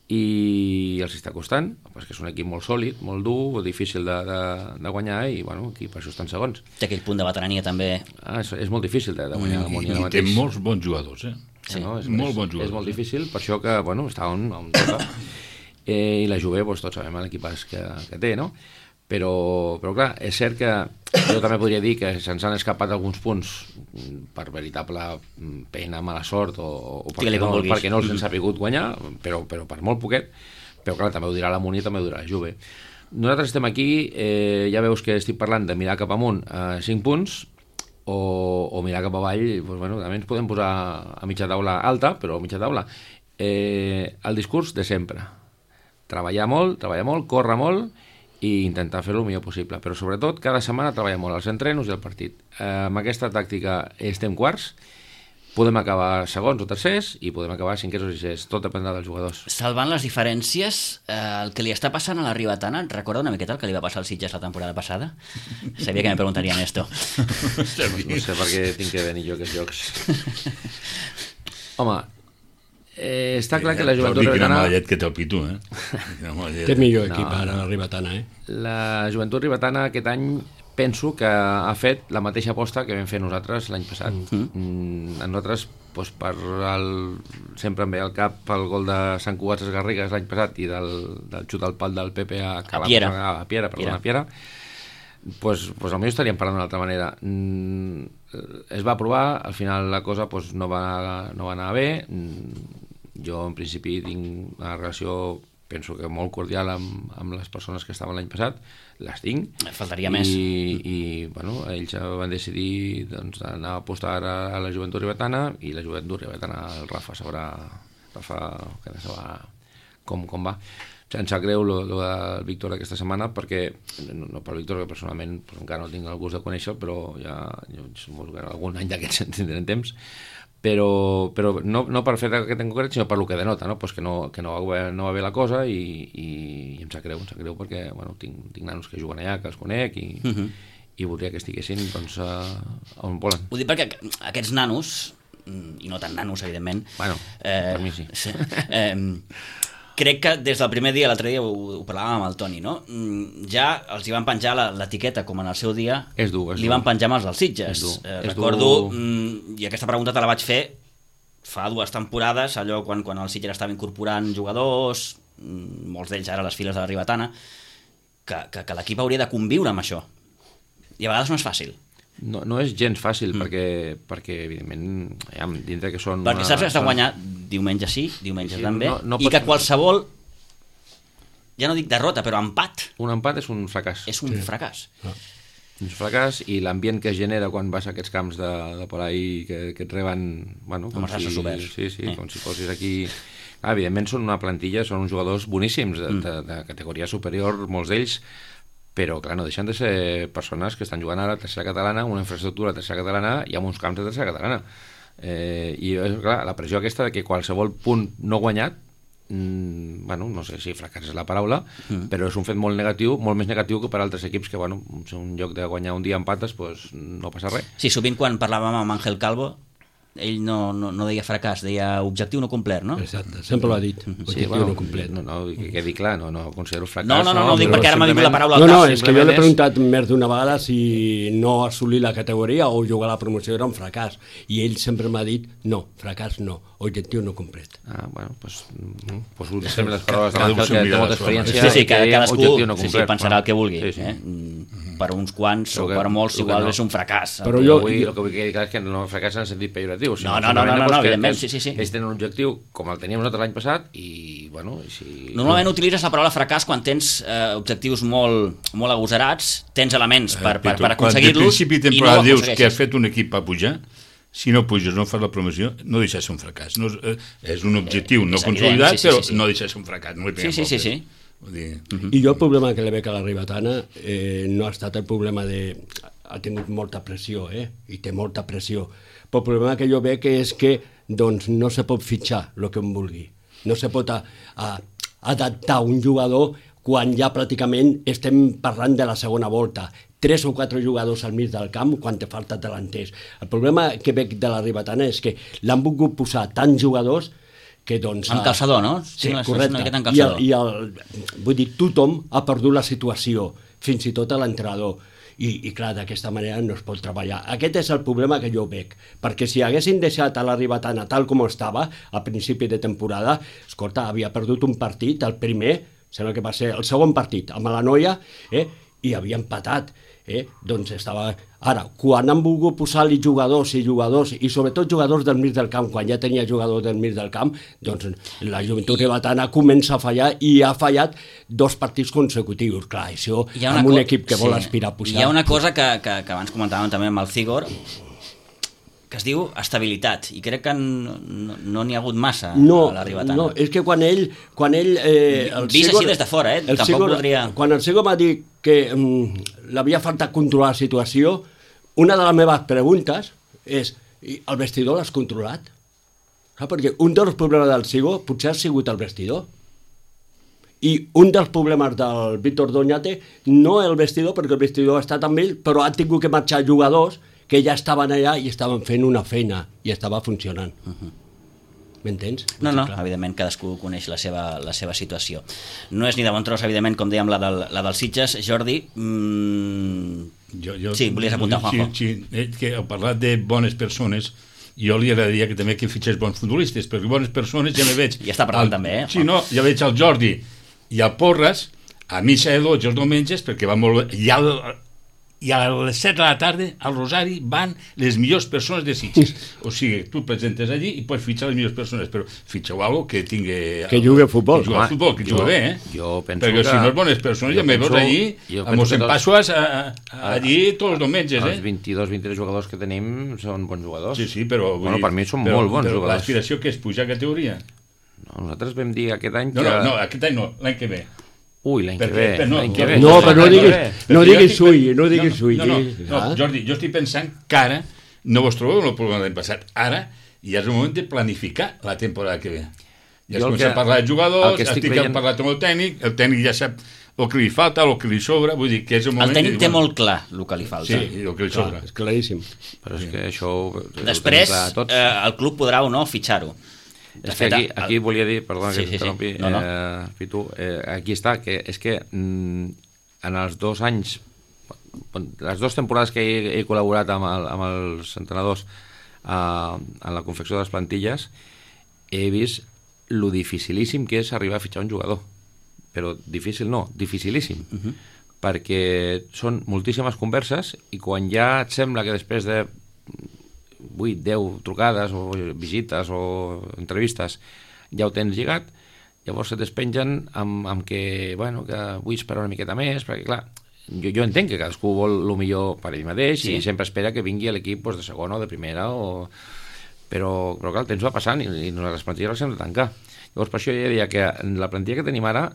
i els està costant, perquè és un equip molt sòlid, molt dur, difícil de, de, de guanyar, i bueno, aquí per això estan segons. Té aquell punt de veterania també. Ah, és, és molt difícil de, de guanyar la Múnia. I, i té molts bons jugadors, eh? Sí, no? és, molt és, bons jugadors. És molt eh? difícil, per això que, bueno, està on, on toca. Eh, I la Juve, doncs, tots sabem l'equipàs que, que té, no? Però, però clar, és cert que jo també podria dir que se'ns han escapat alguns punts per veritable pena, mala sort o, o perquè, no, perquè no els han sabut guanyar, però, però per molt poquet. Però clar, també ho dirà la Múnia, també ho dirà la Juve. Nosaltres estem aquí, eh, ja veus que estic parlant de mirar cap amunt a cinc punts o, o mirar cap avall, doncs, bueno, també ens podem posar a mitja taula alta, però a mitja taula. Eh, el discurs de sempre. Treballar molt, treballar molt, córrer molt i intentar fer-ho el millor possible, però sobretot cada setmana treballar molt als entrenos i al partit. Eh, amb aquesta tàctica estem quarts, podem acabar segons o tercers i podem acabar cinquers o sisers, tot dependrà dels jugadors. Salvant les diferències, eh, el que li està passant a la Ribetana, et recorda una miqueta el que li va passar al Sitges la temporada passada? Sabia que me preguntarien esto. No sé per què tinc que venir jo aquests jocs. Home, Eh, està clar que la Joventut Ribetana... Quina mallet que té el Pitu, eh? Té millor equip no, ara la Ribetana, eh? La Joventut Ribetana aquest any penso que ha fet la mateixa aposta que vam fer nosaltres l'any passat. Mm-hmm. A nosaltres, doncs, per el... sempre em ve al cap el gol de Sant Cugat Garrigues l'any passat i del, del xut al pal del Pepe a, a Piera, a Piera, perdona, a Piera. Pues, pues potser estaríem parlant d'una altra manera. Mm, es va provar, al final la cosa pues, no, va, no va anar bé. Mm, jo en principi tinc una relació, penso que molt cordial amb, amb les persones que estaven l'any passat, les tinc. Faltaria i, més. I bueno, ells van decidir doncs, anar a apostar a, a la Joventut Ribetana i la Joventut Ribetana, el Rafa sabrà, Rafa que no sabrà com, com va. Em sap greu lo, lo del Víctor aquesta setmana perquè, no, no per Víctor, que personalment pues, encara no tinc el gust de conèixer, però ja jo, algun any d'aquests en tindrem temps, però, però no, no per fer aquest en concret, sinó per lo que denota, no? Pues que, no, que no, va, no va bé la cosa i, i, i em sap greu, em sap greu perquè bueno, tinc, tinc nanos que juguen allà, que els conec i, uh-huh. i voldria que estiguessin doncs, a, on volen. Ho dic perquè aquests nanos, i no tan nanos, evidentment... Bueno, eh, per mi sí. sí eh, crec que des del primer dia, l'altre dia ho, ho parlàvem amb el Toni, no? Ja els hi van penjar l'etiqueta, com en el seu dia, és dur, és li dur. van penjar amb els dels Sitges. Eh, recordo, dur... i aquesta pregunta te la vaig fer fa dues temporades, allò quan, quan el Sitges estava incorporant jugadors, molts d'ells ara a les files de la Ribetana, que, que, que l'equip hauria de conviure amb això. I a vegades no és fàcil. No, no és gens fàcil, mm. perquè, perquè evidentment, ja, dintre que són... Perquè saps que has de guanyar diumenge sí, diumenge sí, també, no, no i que qualsevol, ja no dic derrota, però empat... Un empat és un fracàs. És un sí. fracàs. Ah. Un fracàs, i l'ambient que es genera quan vas a aquests camps de, de por ahí que, que et reben... Bueno, com, com si, oberts. Sí, sí, eh. com si fossis aquí... Ah, evidentment són una plantilla, són uns jugadors boníssims, de, mm. de, de categoria superior, molts d'ells, però clar, no deixen de ser persones que estan jugant ara a la tercera catalana, una infraestructura a tercera catalana i amb uns camps de tercera catalana. Eh, I clar, la pressió aquesta de que qualsevol punt no guanyat, mmm, bueno, no sé si fracàs és la paraula, mm. però és un fet molt negatiu, molt més negatiu que per altres equips que, bueno, en lloc de guanyar un dia empates, pues, no passa res. Sí, sovint quan parlàvem amb Ángel Calvo, ell no, no, no deia fracàs, deia objectiu no complert, no? Exacte, sempre l'ha dit, objectiu sí, bueno, no complet. No, no, que quedi clar, no, no considero fracàs. No, no, no, no, no dic perquè ara m'ha vingut la paraula al no, cap. No, és que jo l'he preguntat més d'una vegada si no assolir la categoria o jugar a la promoció era un fracàs, i ell sempre m'ha dit, no, fracàs no, objectiu no complet. Ah, bueno, doncs pues, pues, sempre les paraules de l'Àngel, que té molta experiència. Sí, sí, que cadascú no sí, sí, pensarà el que vulgui. Sí, sí. Eh? Per uns quants o per molts igual no. és un fracàs. Però jo, vull, jo... el que vull dir és que no fracàs en el sentit pejoratiu. No, no, no, no, no, no evidentment, sí, sí, sí. Ells tenen un objectiu com el teníem nosaltres l'any passat i, bueno... I si... Normalment utilitzes la paraula fracàs quan tens eh, objectius molt, molt agosarats, tens elements per, per, per aconseguir-los i no ho principi de temporada dius que has fet un equip a pujar, si no puges, no fas la promoció, no deixa ser un fracàs. No, eh, és un objectiu eh, no consolidat, sí, sí, sí, sí. però no deixa ser un fracàs. No sí, sí, sí, sí. Dir... Uh-huh. I jo el problema que li veig a la Ribetana eh, no ha estat el problema de... ha tingut molta pressió, eh? I té molta pressió, però el problema que jo veig és que doncs, no se pot fitxar el que em vulgui, no se pot a, a, adaptar un jugador quan ja pràcticament estem parlant de la segona volta. Tres o quatre jugadors al mig del camp quan te falta delanters. El problema que veig de la Ribetana és que l'han volgut posar tants jugadors que doncs... En calçador, no? Sí, Tinc la correcte. sensació en I, el, calçador. i el, vull dir, tothom ha perdut la situació, fins i tot a l'entrenador. I, i clar, d'aquesta manera no es pot treballar. Aquest és el problema que jo veig, perquè si haguessin deixat a la Ribetana tal com estava a principi de temporada, escolta, havia perdut un partit, el primer, sembla que va ser el segon partit, amb la Noia, eh, i havia empatat. Eh? Doncs estava... Ara, quan han volgut posar-li jugadors i jugadors, i sobretot jugadors del mig del camp, quan ja tenia jugadors del mig del camp, doncs la Joventut Ribetana comença a fallar i ha fallat dos partits consecutius. Clar, això amb un equip que vol sí. aspirar a pujar... Hi ha una cosa que, que, que abans comentàvem també amb el Cigor, que es diu estabilitat, i crec que no n'hi no ha hagut massa no, a la Ribetana. No, és que quan ell... Quan ell eh, el Vist Cigor, així des de fora, eh? Tampoc Cigor, voldria... Quan el Cigor m'ha dit que mm, l'havia faltat controlar la situació, una de les meves preguntes és, el vestidor l'has controlat? Ah, perquè un dels problemes del Cigor potser ha sigut el vestidor. I un dels problemes del Víctor Doñate no el vestidor, perquè el vestidor ha estat amb ell, però han tingut que marxar jugadors que ja estaven allà i estaven fent una feina i estava funcionant. Uh-huh. M'entens? No, no, evidentment cadascú coneix la seva, la seva situació. No és ni de bon tros, evidentment, com dèiem, la del, la dels Sitges. Jordi, mmm... jo, jo, sí, volies apuntar, Juanjo. Sí, sí, que heu parlat de bones persones, jo li agradaria que també que fitxés bons futbolistes, perquè bones persones ja me veig... I està parlant el, també, eh? Sí, no, ja veig el Jordi i el Porres a missa de dotze els diumenges, perquè va molt bé, i al, i a les set de la tarda al Rosari van les millors persones de Sitges. O sigui, tu et presentes allí i pots fitxar les millors persones, però fitxeu algo que tingui... Que jugui a futbol. Que jugui a futbol, que jugui bé, eh? Jo penso perquè que... si no és bones persones, ja me veus allí, amb els empassos allí tots els diumenges, eh? Els vint-i-dos vint-i-tres jugadors que tenim són bons jugadors. Sí, sí, però... Bueno, per mi són però, molt bons però jugadors. L'aspiració que és pujar a categoria? No, nosaltres vam dir aquest any no, que... No, no, aquest any no, l'any que ve. Ui, l'any que perquè, ve, però no, l'any que ve. No, però no diguis, no diguis sui, no diguis no, sui. No, no, no, no, Jordi, jo estic pensant que ara no vos trobeu en el problema de l'any passat. Ara ja és el moment de planificar la temporada que ve. Ja es comença a parlar de jugadors, estic veient... parlat amb el tècnic, el tècnic ja sap el que li falta, el que li sobra, vull dir que és el moment... El tècnic de... té molt clar el que li falta. Sí, el que li sobra. Clar, és claríssim. Però és que això... Després, eh, el club podrà o no fitxar-ho. De és fet, que aquí, el... aquí volia dir, perdona sí, que sí, t'interrompi, sí. no, no. eh, Pitu, eh, aquí està, que és que mm, en els dos anys, les dues temporades que he, he col·laborat amb, el, amb els entrenadors eh, en la confecció de les plantilles, he vist lo dificilíssim que és arribar a fitxar un jugador. Però difícil no, dificilíssim. Uh -huh. Perquè són moltíssimes converses i quan ja et sembla que després de vuit, deu trucades o visites o entrevistes ja ho tens lligat, llavors se despengen amb, amb que, bueno, que vull esperar una miqueta més, perquè clar, jo, jo entenc que cadascú vol el millor per ell mateix sí. i sempre espera que vingui l'equip pues, de segona o de primera, o... però, però clar, el temps va passant i, i les plantilles les hem de tancar. Llavors per això ja deia que la plantilla que tenim ara,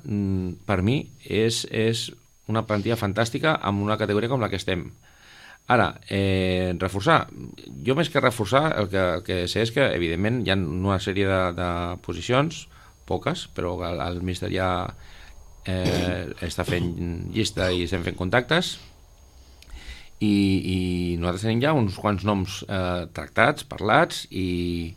per mi, és, és una plantilla fantàstica amb una categoria com la que estem. Ara, eh, reforçar, jo més que reforçar el que, el que sé és que evidentment hi ha una sèrie de, de posicions, poques, però el, el míster ja eh, està fent llista i estem fent contactes i, i nosaltres tenim ja uns quants noms eh, tractats, parlats i,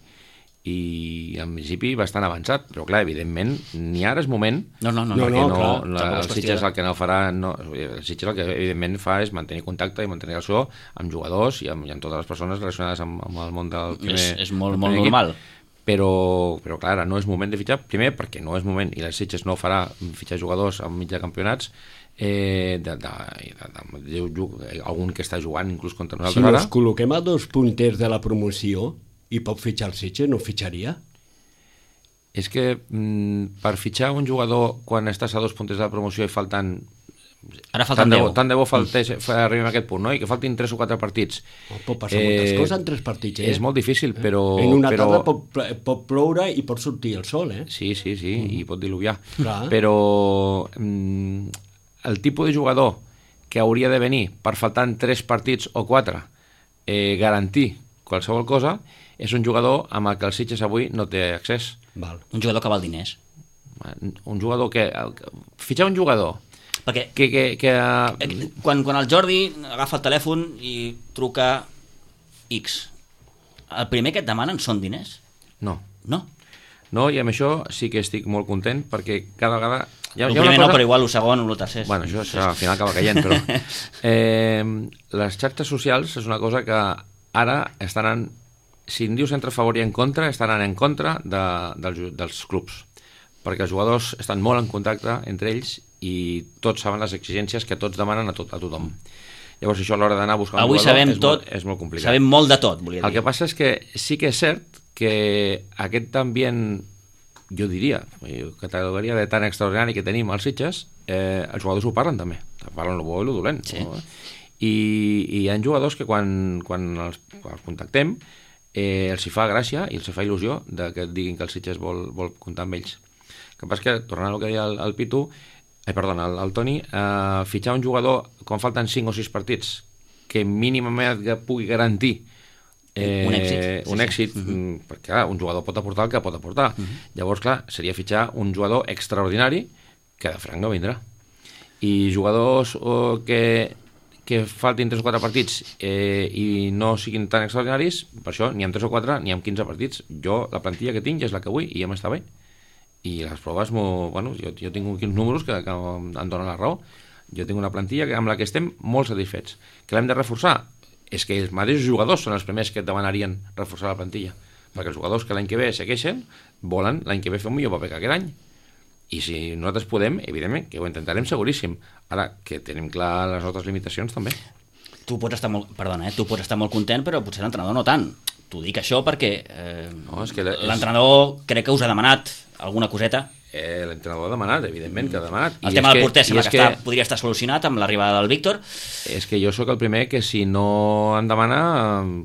i en principi bastant avançat, però clar, evidentment ni ara és moment, no, no, no, no, perquè no, no, clar, la, el Sitges el que no farà no, el Sitges el que evidentment fa és mantenir contacte i mantenir relació amb jugadors i amb, i amb totes les persones relacionades amb, amb el món del primer és, és molt, molt normal equip. Però, però clar, ara no és moment de fitxar, primer perquè no és moment i el Sitges no farà fitxar jugadors en mig de campionats eh, de, de, de, de, de, algun que està jugant inclús contra nosaltres si ara. Si ens col·loquem a dos punters de la promoció i pot fitxar el Sitges, no fitxaria? És que mm, per fitxar un jugador quan estàs a dos punters de la promoció i falten... Ara falten tant de bo, deu. tant de bo faltés, arribem a aquest punt, no? I que faltin tres o quatre partits. Oh, pot passar eh, moltes coses en tres partits, eh? És molt difícil, però... En una però... tarda pot, pot ploure i pot sortir el sol, eh? Sí, sí, sí, mm. i pot diluviar. Clar. Però mm, el tipus de jugador que hauria de venir per faltant tres partits o quatre eh, garantir qualsevol cosa és un jugador amb el que el Sitges avui no té accés. Val. Un jugador que val diners. Un jugador que... Fitxar un jugador Perquè que... que, que... Quan, quan el Jordi agafa el telèfon i truca X, el primer que et demanen són diners? No. No? No, i amb això sí que estic molt content, perquè cada vegada... Hi ha, el primer cosa... no, però igual el segon o el tercer. Bueno, això, això al final acaba caient, però... Eh, les xarxes socials és una cosa que ara estan en... Si en dius entre a favor i en contra, estan en contra de, dels, dels clubs, perquè els jugadors estan molt en contacte entre ells i tots saben les exigències que tots demanen a, tot, a tothom. Llavors això a l'hora d'anar a buscar un Avui jugador sabem és, tot, molt, és molt complicat. Sabem molt de tot, volia dir. El que passa és que sí que és cert que aquest ambient, jo diria, categoria de tan extraordinari que tenim als Sitges, eh, els jugadors ho parlen també, parlen el bo i el dolent. Sí. No? I, I hi ha jugadors que quan, quan els, els contactem eh, els hi fa gràcia i els hi fa il·lusió de que et diguin que el Sitges vol, vol comptar amb ells. El que passa és que, tornant al que deia el, el Pitu, eh, perdona, el, el Toni, eh, fitxar un jugador quan falten cinc o sis partits que mínimament pugui garantir Eh, un èxit, sí, un èxit sí. Uh-huh. perquè clar, un jugador pot aportar el que pot aportar. Uh-huh. Llavors, clar, seria fitxar un jugador extraordinari que de franc no vindrà. I jugadors oh, que, que faltin tres o quatre partits eh, i no siguin tan extraordinaris, per això ni amb tres o quatre ni amb quinze partits. Jo, la plantilla que tinc és la que vull i ja m'està bé. I les proves, bueno, jo, jo tinc uns números que, que em donen la raó. Jo tinc una plantilla amb la que estem molt satisfets. Que l'hem de reforçar? És que els mateixos jugadors són els primers que et demanarien reforçar la plantilla, perquè els jugadors que l'any que ve segueixen volen l'any que ve fer un millor paper que aquest any, i si nosaltres podem, evidentment que ho intentarem seguríssim, ara que tenim clar les nostres limitacions també. Tu pots estar molt, perdona, eh? tu pots estar molt content, però potser l'entrenador no tant. T'ho dic això perquè eh, no, és que és... l'entrenador crec que us ha demanat alguna coseta. Eh, l'entrenador ha demanat, evidentment que ha demanat. El I tema del porter sembla que, que està, podria estar solucionat amb l'arribada del Víctor. És que jo sóc el primer que si no en demana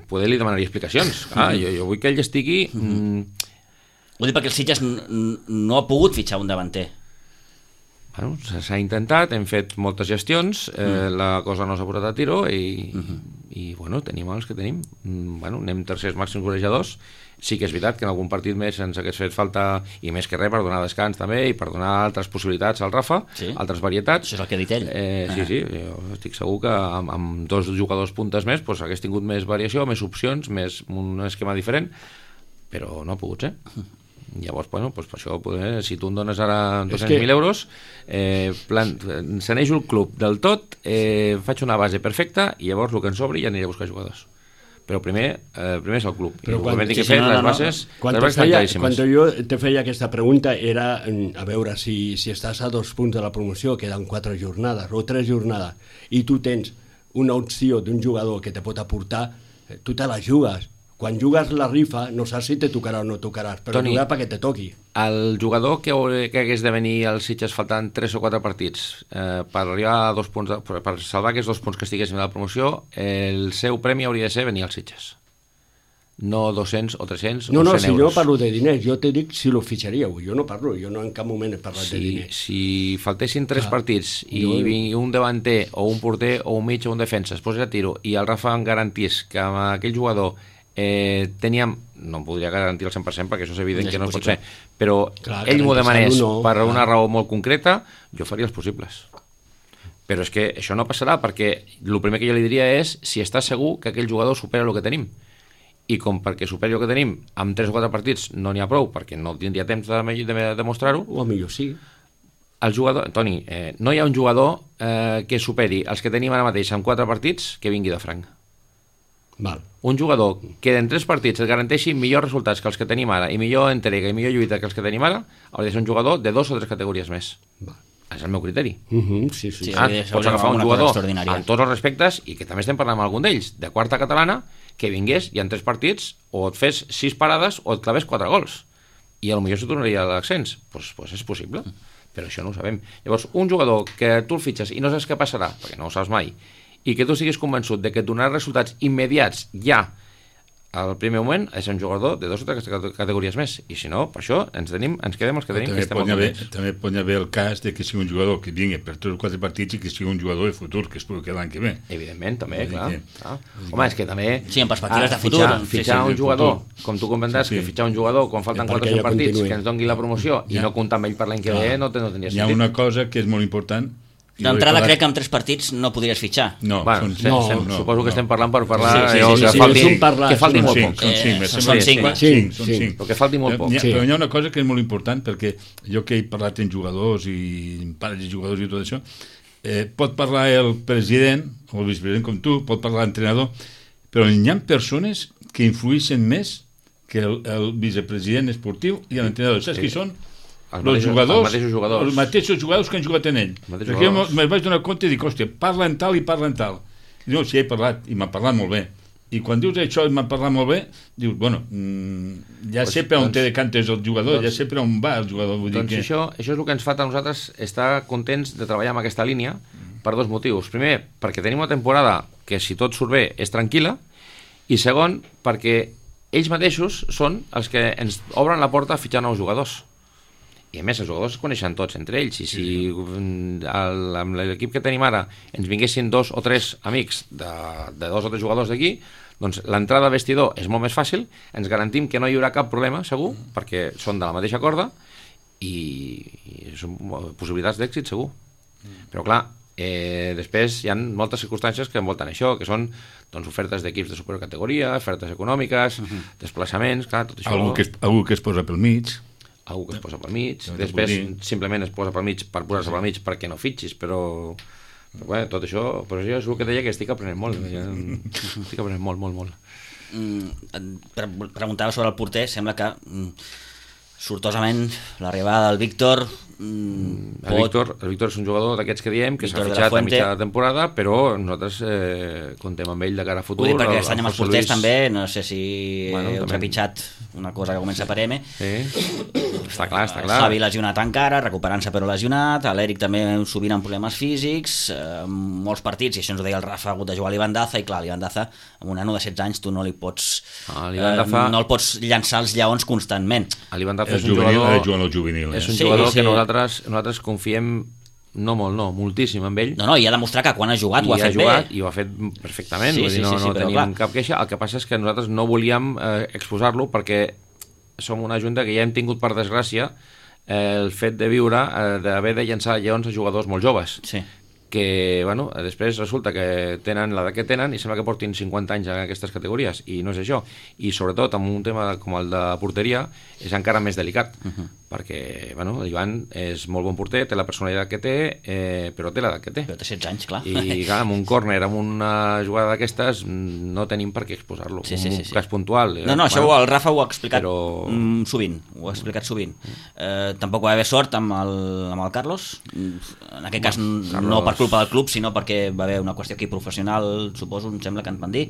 poder li demanaria explicacions. Ah, jo, jo vull que ell estigui... Mm... Ho dic perquè el Sitges no ha pogut fitxar un davanter. Bueno, s'ha intentat, hem fet moltes gestions, eh, mm. la cosa no s'ha posat a tiro i, mm-hmm. i bueno, tenim els que tenim. Bueno, anem tercers màxims golejadors. Sí que és veritat que en algun partit més ens hagués fet falta, i més que res per donar descans també i per donar altres possibilitats al Rafa, sí. altres varietats. Això és el que ha dit ell. Eh, sí, sí, jo estic segur que amb, amb dos jugadors puntes més pues, hagués tingut més variació, més opcions, més un esquema diferent, però no ha pogut ser. Llavors, bueno, pues per això, poder, si tu em dones ara dos-cents mil que... euros, eh, plan, encenejo el club del tot, eh, faig una base perfecta i llavors el que en sobri ja aniré a buscar jugadors. Però primer, eh, primer és el club. Però quan, sí, que sí, no, no, les bases, no. Quan, les bases feia, quan jo te feia aquesta pregunta era a veure si, si estàs a dos punts de la promoció, queden quatre jornades o tres jornades, i tu tens una opció d'un jugador que te pot aportar, tu te la jugues. Quan jugues la rifa no saps si te tocarà o no tocaràs, però Toni, jugar perquè te toqui. El jugador que, que hagués de venir als Sitges faltant tres o quatre partits eh, per arribar a dos punts, de, per salvar aquests dos punts que estiguessin a la promoció, el seu premi hauria de ser venir als Sitges. No dos-cents o tres-cents no, o no, cent si euros. jo parlo de diners, jo te dic si lo fitxaríeu, jo no parlo, jo no en cap moment he parlat si, de diners. Si faltessin tres Clar, partits i jo... vingui un davanter o un porter o un mig o un defensa es posés a tiro i el Rafa em garantís que amb aquell jugador eh, teníem, no em podria garantir el cent per cent perquè això és evident és que no possible. pot ser, però clar, ell m'ho demanés no, per clar. una raó molt concreta, jo faria els possibles. Però és que això no passarà perquè el primer que jo li diria és si està segur que aquell jugador supera el que tenim. I com perquè superi el que tenim amb tres o quatre partits no n'hi ha prou perquè no tindria temps de, de, de demostrar-ho, o millor sí. El jugador, Toni, eh, no hi ha un jugador eh, que superi els que tenim ara mateix en quatre partits que vingui de franc. Val. Un jugador que en tres partits et garanteixi millors resultats que els que tenim ara i millor entrega i millor lluita que els que tenim ara, hauria de ser un jugador de dos o tres categories més. Val. És el meu criteri. Uh -huh, sí, sí. Sí, ah, sí, pots agafar un jugador amb tots els respectes i que també estem parlant amb algun d'ells, de quarta catalana, que vingués i en tres partits o et fes sis parades o et claves quatre gols. I potser se tornaria a l'accents. Doncs pues, pues és possible, però això no ho sabem. Llavors, un jugador que tu el fitxes i no saps què passarà, perquè no ho saps mai, i que tu estiguis convençut de que et donarà resultats immediats ja al primer moment és un jugador de dos o tres categories més, i si no, per això ens, tenim, ens quedem els que tenim, també que estem pot molt haver, contents. també pot haver el cas de que sigui un jugador que vingui per tres o quatre partits i que sigui un jugador de futur, que es pugui quedar l'any que ve. Evidentment, també, Vull dir clar. que- clar. Home, és que també... Sí, en perspectives ah, de futur. Fitxar, Sí, sí, fitxar sí, un de jugador, futur. com tu comentaves, Sí, sí. que fitxar un jugador quan falten I quatre o perquè cinc ja partits continuï. que ens doni la promoció i Ja. no comptar amb ell per l'any que ve, no, te- no tenia Hi ha sentit. una cosa que és molt important. i ho he D'entrada parlat- crec que amb tres partits no podries fitxar. No, Bueno, són, sí, no, estem, no, suposo que no. estem parlant per parlar Sí, sí, allò sí, que sí, falti, és un parlar, que falti és un molt cinc, poc. són Eh, cinc, són són cinc. cinc, Cinc, són cinc. cinc. Però que falti molt poc. Hi ha, Sí. Però hi ha una cosa que és molt important, perquè jo que he parlat amb jugadors i amb pares de jugadors i tot això, eh, pot parlar el president o el vicepresident com tu, pot parlar l'entrenador, però hi ha persones que influeixen més que el, el vicepresident esportiu i l'entrenador. Saps Sí. qui són? Els Els mateixos- jugadors, els mateixos jugadors. els mateixos jugadors que han jugat en ell. mateixos Perquè jo jugadors. me'n vaig donar compte i dic, hòstia, parla en tal i parla en tal. I diu, sí, he parlat, i m'ha parlat molt bé. I quan dius això i m'ha parlat molt bé, dius, bueno, mm, ja Pues, sé per on doncs- té de cantes el jugador, doncs- ja sé per on va el jugador. Vull Doncs dir que... això, això és el que ens fa a nosaltres estar contents de treballar amb aquesta línia per dos motius. Primer, perquè tenim una temporada que, si tot surt bé, és tranquil·la, i segon, perquè ells mateixos són els que ens obren la porta a fitxar nous jugadors. I a més, els jugadors es coneixen tots entre ells, i si el, amb l'equip que tenim ara ens vinguessin dos o tres amics de, de dos o tres jugadors d'aquí, doncs l'entrada al vestidor és molt més fàcil, ens garantim que no hi haurà cap problema, segur, perquè són de la mateixa corda, i, i són possibilitats d'èxit, segur. Però clar, eh, després hi ha moltes circumstàncies que envolten això, que són doncs, ofertes d'equips de supercategoria, ofertes econòmiques, desplaçaments, clar, tot això... Algú que, es, algú que es posa pel mig. Algú que es posa pel mig, No t'ho després puc dir. simplement es posa pel mig per posar-se pel mig perquè no fitxis, però, però bé, tot això, però jo és el que deia que estic aprenent molt, ja, estic aprenent molt, molt, molt. Mm, pre preguntava sobre el porter, sembla que mm, sortosament l'arribada del Víctor mm, El Víctor, el Víctor és un jugador d'aquests que diem que s'ha Víctor de la fitxat a Fuente. mitja temporada, però nosaltres eh, contem amb ell de cara a futur. Vull dir, perquè El- aquest any el amb els José porters Luis- també, no sé si Bueno, heu també. trepitjat una cosa que comença per M. Sí. Està clar, està El clar. Javi lesionat encara, recuperant-se però lesionat, l'Eric també sovint amb problemes físics, eh, molts partits, i això ens ho deia el Rafa, ha hagut de jugar a l'Ibandaza, i clar, l'Ibandaza, amb un nano de setze anys, tu no li pots... Ah, eh, l'Ibandaza- no el pots llançar als lleons constantment. l'Ivan Daza El és un juvenil, jugador... ha de jugar en el juvenil. Eh? És un Sí, jugador sí. que nosaltres, nosaltres confiem no molt, no, moltíssim amb ell. No, no, i ha demostrat que quan ha jugat I ho ha fet jugat, bé. I ho ha fet perfectament, Sí, vull dir, sí, no, sí, sí, no però tenim clar. cap queixa. El que passa és que nosaltres no volíem eh, exposar-lo perquè som una junta que ja hem tingut, per desgràcia, eh, el fet de viure, eh, d'haver de llançar lleons a jugadors molt joves, Sí. que bueno, després resulta que tenen l'edat que tenen i sembla que portin cinquanta anys en aquestes categories, i no és això. I sobretot amb un tema com el de porteria és encara més delicat, uh -huh. perquè bueno, l'Ivan és molt bon porter, té la personalitat que té, eh, però té l'edat que té. Però té setze anys, clar. I clar, amb un córner, amb una jugada d'aquestes, no tenim per què exposar-lo. Sí, sí, un sí, sí. cas puntual. No, no, això bueno, el Rafa ho ha explicat però- mm, sovint, ho ha explicat sovint. Eh, tampoc va haver sort amb el, amb el Carlos, en aquest cas Carlos- no per culpa del club, sinó perquè va haver una qüestió aquí professional, suposo, em sembla que ens van dir.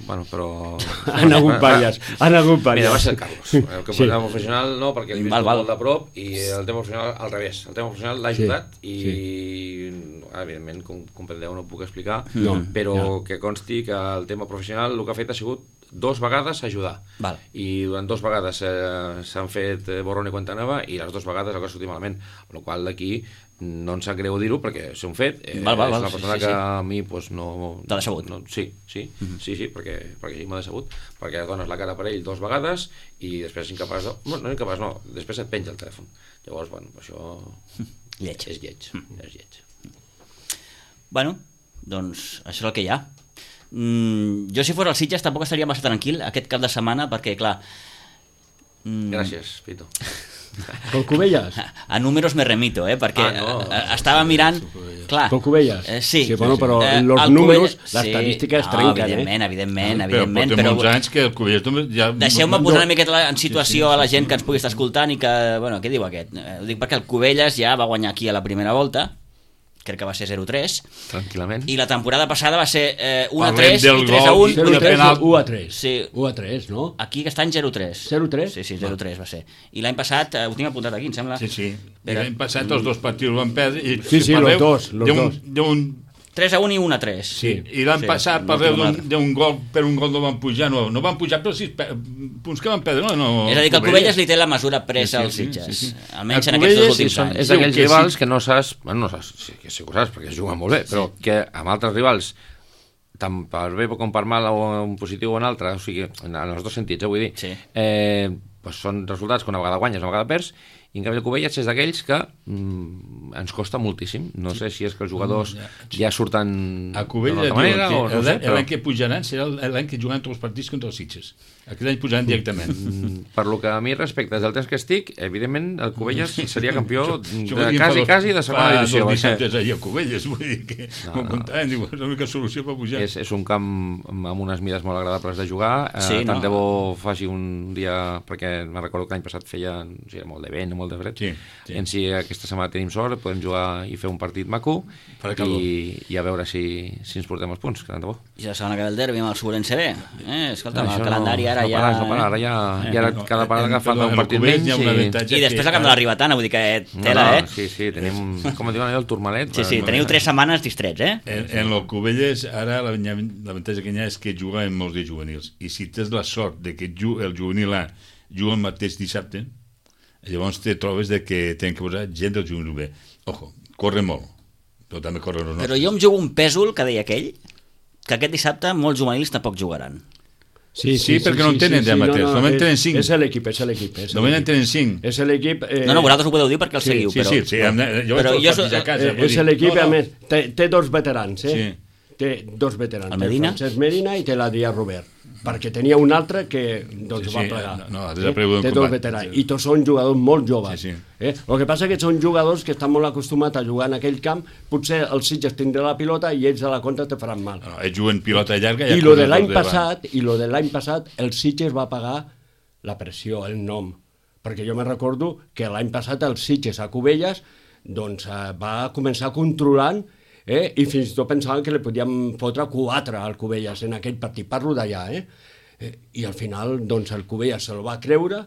Bueno, però... Han hagut diverses, han hagut Mira, va diverses. ser el Carlos. El que Sí. sí. professional no, perquè l'he vist Val, val. molt de prop, i el tema professional al revés. El tema professional l'ha Sí, ajudat i, sí. evidentment, com comprendeu, no puc explicar, No, però que consti que el tema professional el que ha fet ha sigut dos vegades ajudar. Val. I durant dos vegades eh, s'han fet eh, borrón i cuenta nova, i les dues vegades el que ha sortit malament. Amb la qual d'aquí no ens sap greu dir-ho perquè s'ho han fet. Eh, Val, val, val, és una sí, persona sí, que sí. a mi pues, no... T'ha decebut. No, sí, sí, mm -hmm. sí, sí, perquè, perquè sí, m'ha decebut. Perquè dones la cara per ell dos vegades i després és incapaç de... No, no incapaç, no. Després et penja el telèfon. Llavors, bueno, això... Lleig. És lleig, és lleig. Bueno, doncs això és el que hi ha. Mm, jo si fos el Sitges tampoc estaria massa tranquil aquest cap de setmana perquè, clar... Mm, Gràcies, Pito. Pel Cubelles? a números me remito, eh? Perquè Ah, no. eh, estava mirant... Clar, Pel Cubelles? eh, sí. Sí, bueno, però Eh, los el números, Cubelles- l'estadística es no, trenquen, evidentment, eh? evidentment, Però evidentment, portem però... molts anys que el Cubelles només ja... Deixeu-me no- posar no- una miqueta en situació a la gent que ens pugui estar escoltant i que, bueno, què diu aquest? Eh, ho dic perquè el Cubelles ja va guanyar aquí a la primera volta, crec que va ser zero tres, Tranquil·lament. i la temporada passada va ser eh, u a Parlem tres del i tres a gol un. i zero de tres penal. u a tres. Sí. u a tres, no? Aquí aquest any zero tres. zero tres? Sí, sí, zero tres va ser. I l'any passat, eh, ho tinc apuntat aquí, em sembla. Sí, sí. Però- I l'any passat els dos partits van perdre. I Sí, sí, parleu los dos, los d'un- dos. D'un tres a un i un a tres. Sí. I l'han sí, passat per d'un gol, per un gol no van pujar, no, no van pujar per sis punts que van perdre, no? no és a dir, que el Cubelles li té la mesura presa als Sitges, sí, sí, sí. almenys en aquests dos últims sí, anys. És d'aquells rivals que no saps, bueno, no saps, sí que sí ho saps, perquè es juguen molt bé, però que amb altres rivals, tant per bé com per mal, o un positiu o un altre, o sigui, en els dos sentits, eh, vull dir, sí. eh, doncs són resultats que una vegada guanyes, una vegada perds, i en canvi el Cubelles és d'aquells que mm, ens costa moltíssim. No sé si és que els jugadors mm, ja, ja surten a Cubelles d'una manera o no sé, però... L'any que pujaran serà l'any que juguen tots els partits contra els Sitges. Aquest any pujaran directament. Mm, per lo que a mi respecte, des del temps que estic, evidentment el Cubelles seria campió de quasi, quasi de segona divisió. Fa dos dissabtes allà a Cubelles, vull dir que m'ho comptaven, diu, és l'única solució per pujar. És, és un camp amb unes mides molt agradables de jugar, sí, eh, tant no. de bo faci un dia, perquè me'n recordo que l'any passat feia, o sigui, molt de vent, molt de fred, sí, sí. I en si aquesta setmana tenim sort, podem jugar i fer un partit maco i, i a veure si, si ens portem els punts, que tant de bo. I la setmana que ve el derbi amb el Sobrense B, eh? Escolta, no, el calendari ara no, ja... No parar, ara ja, eh, ja no, cada parada agafant un partit menys i... I després el camp de la Ribatana, vull dir que tela, no, no, eh? Sí, sí, tenim, com diuen allò, el turmalet. Sí, sí, teniu tres setmanes distrets, eh? En, en el Cubelles, ara l'avantatge que hi ha és que juga en molts de juvenils, i si tens la sort de que el juvenil A juga el mateix dissabte, llavors te trobes de que tenen que posar gent del juvenil B. Ojo, corre molt, però també corre els nostres. Però jo em jugo un pèsol, que deia aquell, que aquest dissabte molts juvenils tampoc jugaran. Sí, sí, sí, perquè sí, no en tenen sí, sí, mateix, no, no, només en tenen cinc. És l'equip, és l'equip. Només en tenen cinc. És l'equip... Eh... No, no, vosaltres ho podeu dir perquè el sí, seguiu, sí, però... Sí, sí, sí, jo vaig jo so... a casa. Eh, és l'equip, no, no. a més, té, té dos veterans, eh? Sí. Té dos veterans. El Medina? Té Francesc Medina i té l'Adrià Robert. Perquè tenia un altre que doncs, sí, sí, va plegar. No, no, eh? Té dos veterans. I tots són jugadors molt joves. Sí, sí. Eh? El que passa és que són jugadors que estan molt acostumats a jugar en aquell camp. Potser els Sitges tindrà la pilota i ells a la contra te faran mal. No, ells juguen pilota llarga... I lo de l'any passat, i lo de l'any passat, el Sitges va pagar la pressió, el nom. Perquè jo me recordo que l'any passat el Sitges a Cubelles doncs, va començar controlant Eh? i fins i tot pensaven que li podíem fotre quatre al Cubelles en aquell partit, parlo d'allà, eh? eh? i al final doncs, el Cubelles se'l va creure,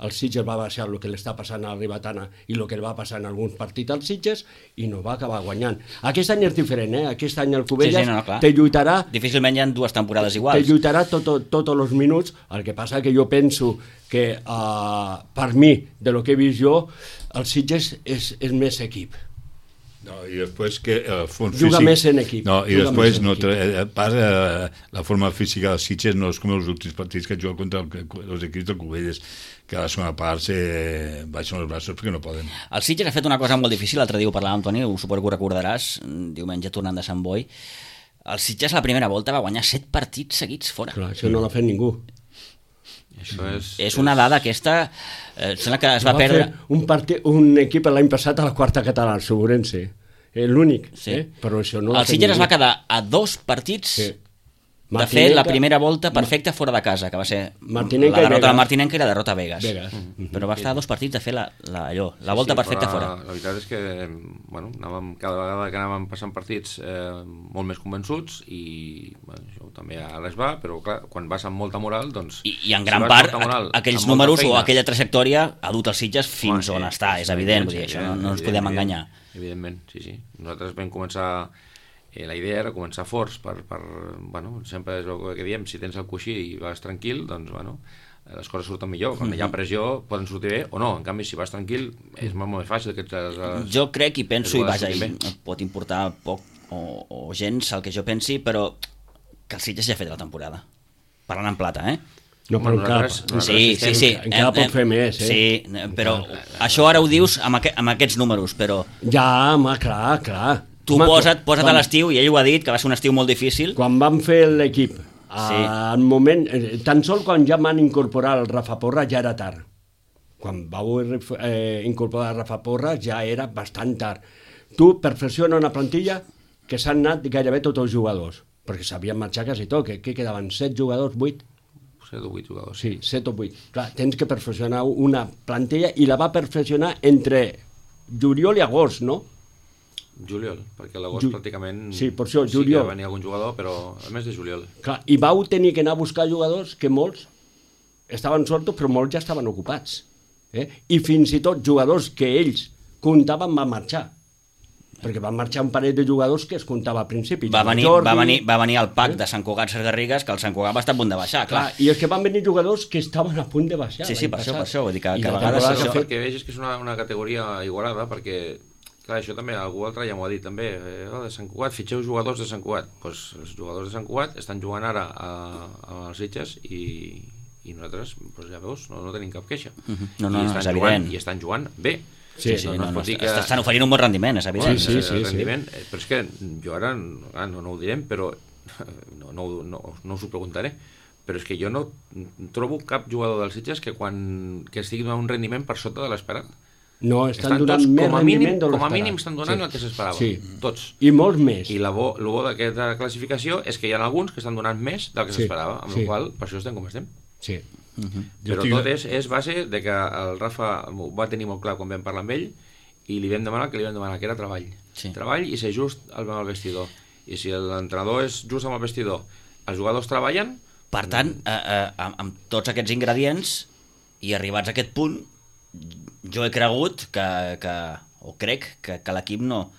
el Sitges va baixar el que li està passant a la Ribatana i el que li va passar en alguns partits als Sitges i no va acabar guanyant. Aquest any és diferent, eh? Aquest any el Cubelles sí, sí, no, no, te lluitarà... Difícilment hi ha dues temporades iguals. Te lluitarà tots tot, tot els minuts, el que passa que jo penso que uh, per mi, de lo que he vist jo, el Sitges és, és més equip. No, i després que el fons juga físic... més en equip. No, i després no, pas, eh, la forma física dels Sitges no és com els últims partits que juga contra el, els equips del Cubelles, que a la segona part se baixen els braços perquè no poden. El Sitges ha fet una cosa molt difícil, l'altre dia ho parlàvem, Toni, suposo que ho recordaràs, diumenge tornant de Sant Boi. El Sitges la primera volta va guanyar set partits seguits fora. Clar, això no l'ha fet ningú. Això és, és una dada aquesta, eh, sembla que es va, va perdre... Un, partit, un equip l'any passat a la quarta catalana, el Sobrense, eh, l'únic, sí. eh? Però això no el Sitges es va quedar a dos partits sí. de fer la primera volta perfecta fora de casa, que va ser Martinenca la derrota de Martinenca i la derrota a Vegas. Vegas. Mm. Però va estar a dos partits de fer la, la, allò, la volta sí, sí, perfecta fora. La, la veritat és que bueno, anàvem, cada vegada que anàvem passant partits eh, molt més convençuts i bueno, això també a les va, però clar, quan vas amb molta moral doncs... I, i en gran si part moral, aquells números feina, o aquella trajectòria ha dut els Sitges fins Home, on està, és evident, vull dir, això no, no ens podem enganyar. Evidentment, sí, sí. Nosaltres vam començar... Eh, la idea era començar forts per, per, bueno, sempre és el que diem, si tens el coixí i vas tranquil, doncs, bueno, les coses surten millor. Quan hi ha pressió poden sortir bé o no, en canvi, si vas tranquil és molt més fàcil que... Les, jo crec i penso, i vaja, i pot importar poc o, o gens el que jo pensi, però que el Sitges ja ha fet la temporada. Parlant en plata, eh? No, però encara, sí, sí, sí. encara pot fer més, eh? Sí, però això ara ho dius amb, aqu amb aquests números, però... Ja, home, clar, clar. Tu home, posa't, posa't quan, a l'estiu, i ell ho ha dit, que va ser un estiu molt difícil. Quan vam fer l'equip, sí. al moment, tan sol quan ja van incorporar el Rafa Porra ja era tard. Quan vau eh, incorporar el Rafa Porra ja era bastant tard. Tu perfecciona una plantilla que s'han anat gairebé tots els jugadors, perquè s'havien marxat quasi tot, que, que quedaven set jugadors, vuit? set o vuit jugadors. Sí, set o vuit. Clar, tens que perfeccionar una plantilla i la va perfeccionar entre juliol i agost, no? Juliol, perquè l'agost Ju... pràcticament sí, per això, sí que venia algun jugador, però el mes de juliol. Clar, i vau tenir que anar a buscar jugadors que molts estaven sortos, però molts ja estaven ocupats. Eh? I fins i tot jugadors que ells comptaven van marxar. perquè van marxar un parell de jugadors que es comptava al principi. Va venir, Jordi, va, venir, va venir el pack de Sant Cugat Ses Garrigues, que el Sant Cugat va estar a punt de baixar, clar. clar. I és que van venir jugadors que estaven a punt de baixar. Sí, sí, per això, per això, vull dir que, I que a la vegades temporada això... que ha fet- Perquè veig que és una, una categoria igualada, perquè clar, això també algú altre ja m'ho ha dit també, eh, oh, de Sant Cugat, fitxeu jugadors de Sant Cugat. Pues els jugadors de Sant Cugat estan jugant ara a, a les Sitges i, i nosaltres, pues ja veus, no, no tenim cap queixa. Uh-huh. No, no, I no, estan és jugant, evident. I estan jugant bé. Sí, sí, no, no, no, no, es pot dir no, que... estan oferint un bon rendiment, és evident. Sí, sí, sí, el sí. rendiment, eh, però és que jo ara ah, no, no ho direm, però no, no, no, no us ho preguntaré, però és que jo no trobo cap jugador dels Sitges que quan que estigui donant un rendiment per sota de l'esperat. No, estan, Estan donant tots, més com a rendiment mínim, de com a l'esperat. mínim estan donant sí. el que s'esperava, Sí. tots. I molts més. I la bo, el bo d'aquesta classificació és que hi ha alguns que estan donant més del que Sí, s'esperava, amb sí. la qual cosa, per això estem com estem. Sí. Uh-huh. Però estic- tot és, és base de que el Rafa ho va tenir molt clar quan vam parlar amb ell i li vam demanar que li vam demanar, que era treball. Sí. Treball i ser just amb el vestidor. I si l'entrenador és just amb el vestidor, els jugadors treballen... Per tant, eh, eh, amb, amb tots aquests ingredients i arribats a aquest punt, jo he cregut que, que o crec que, que l'equip no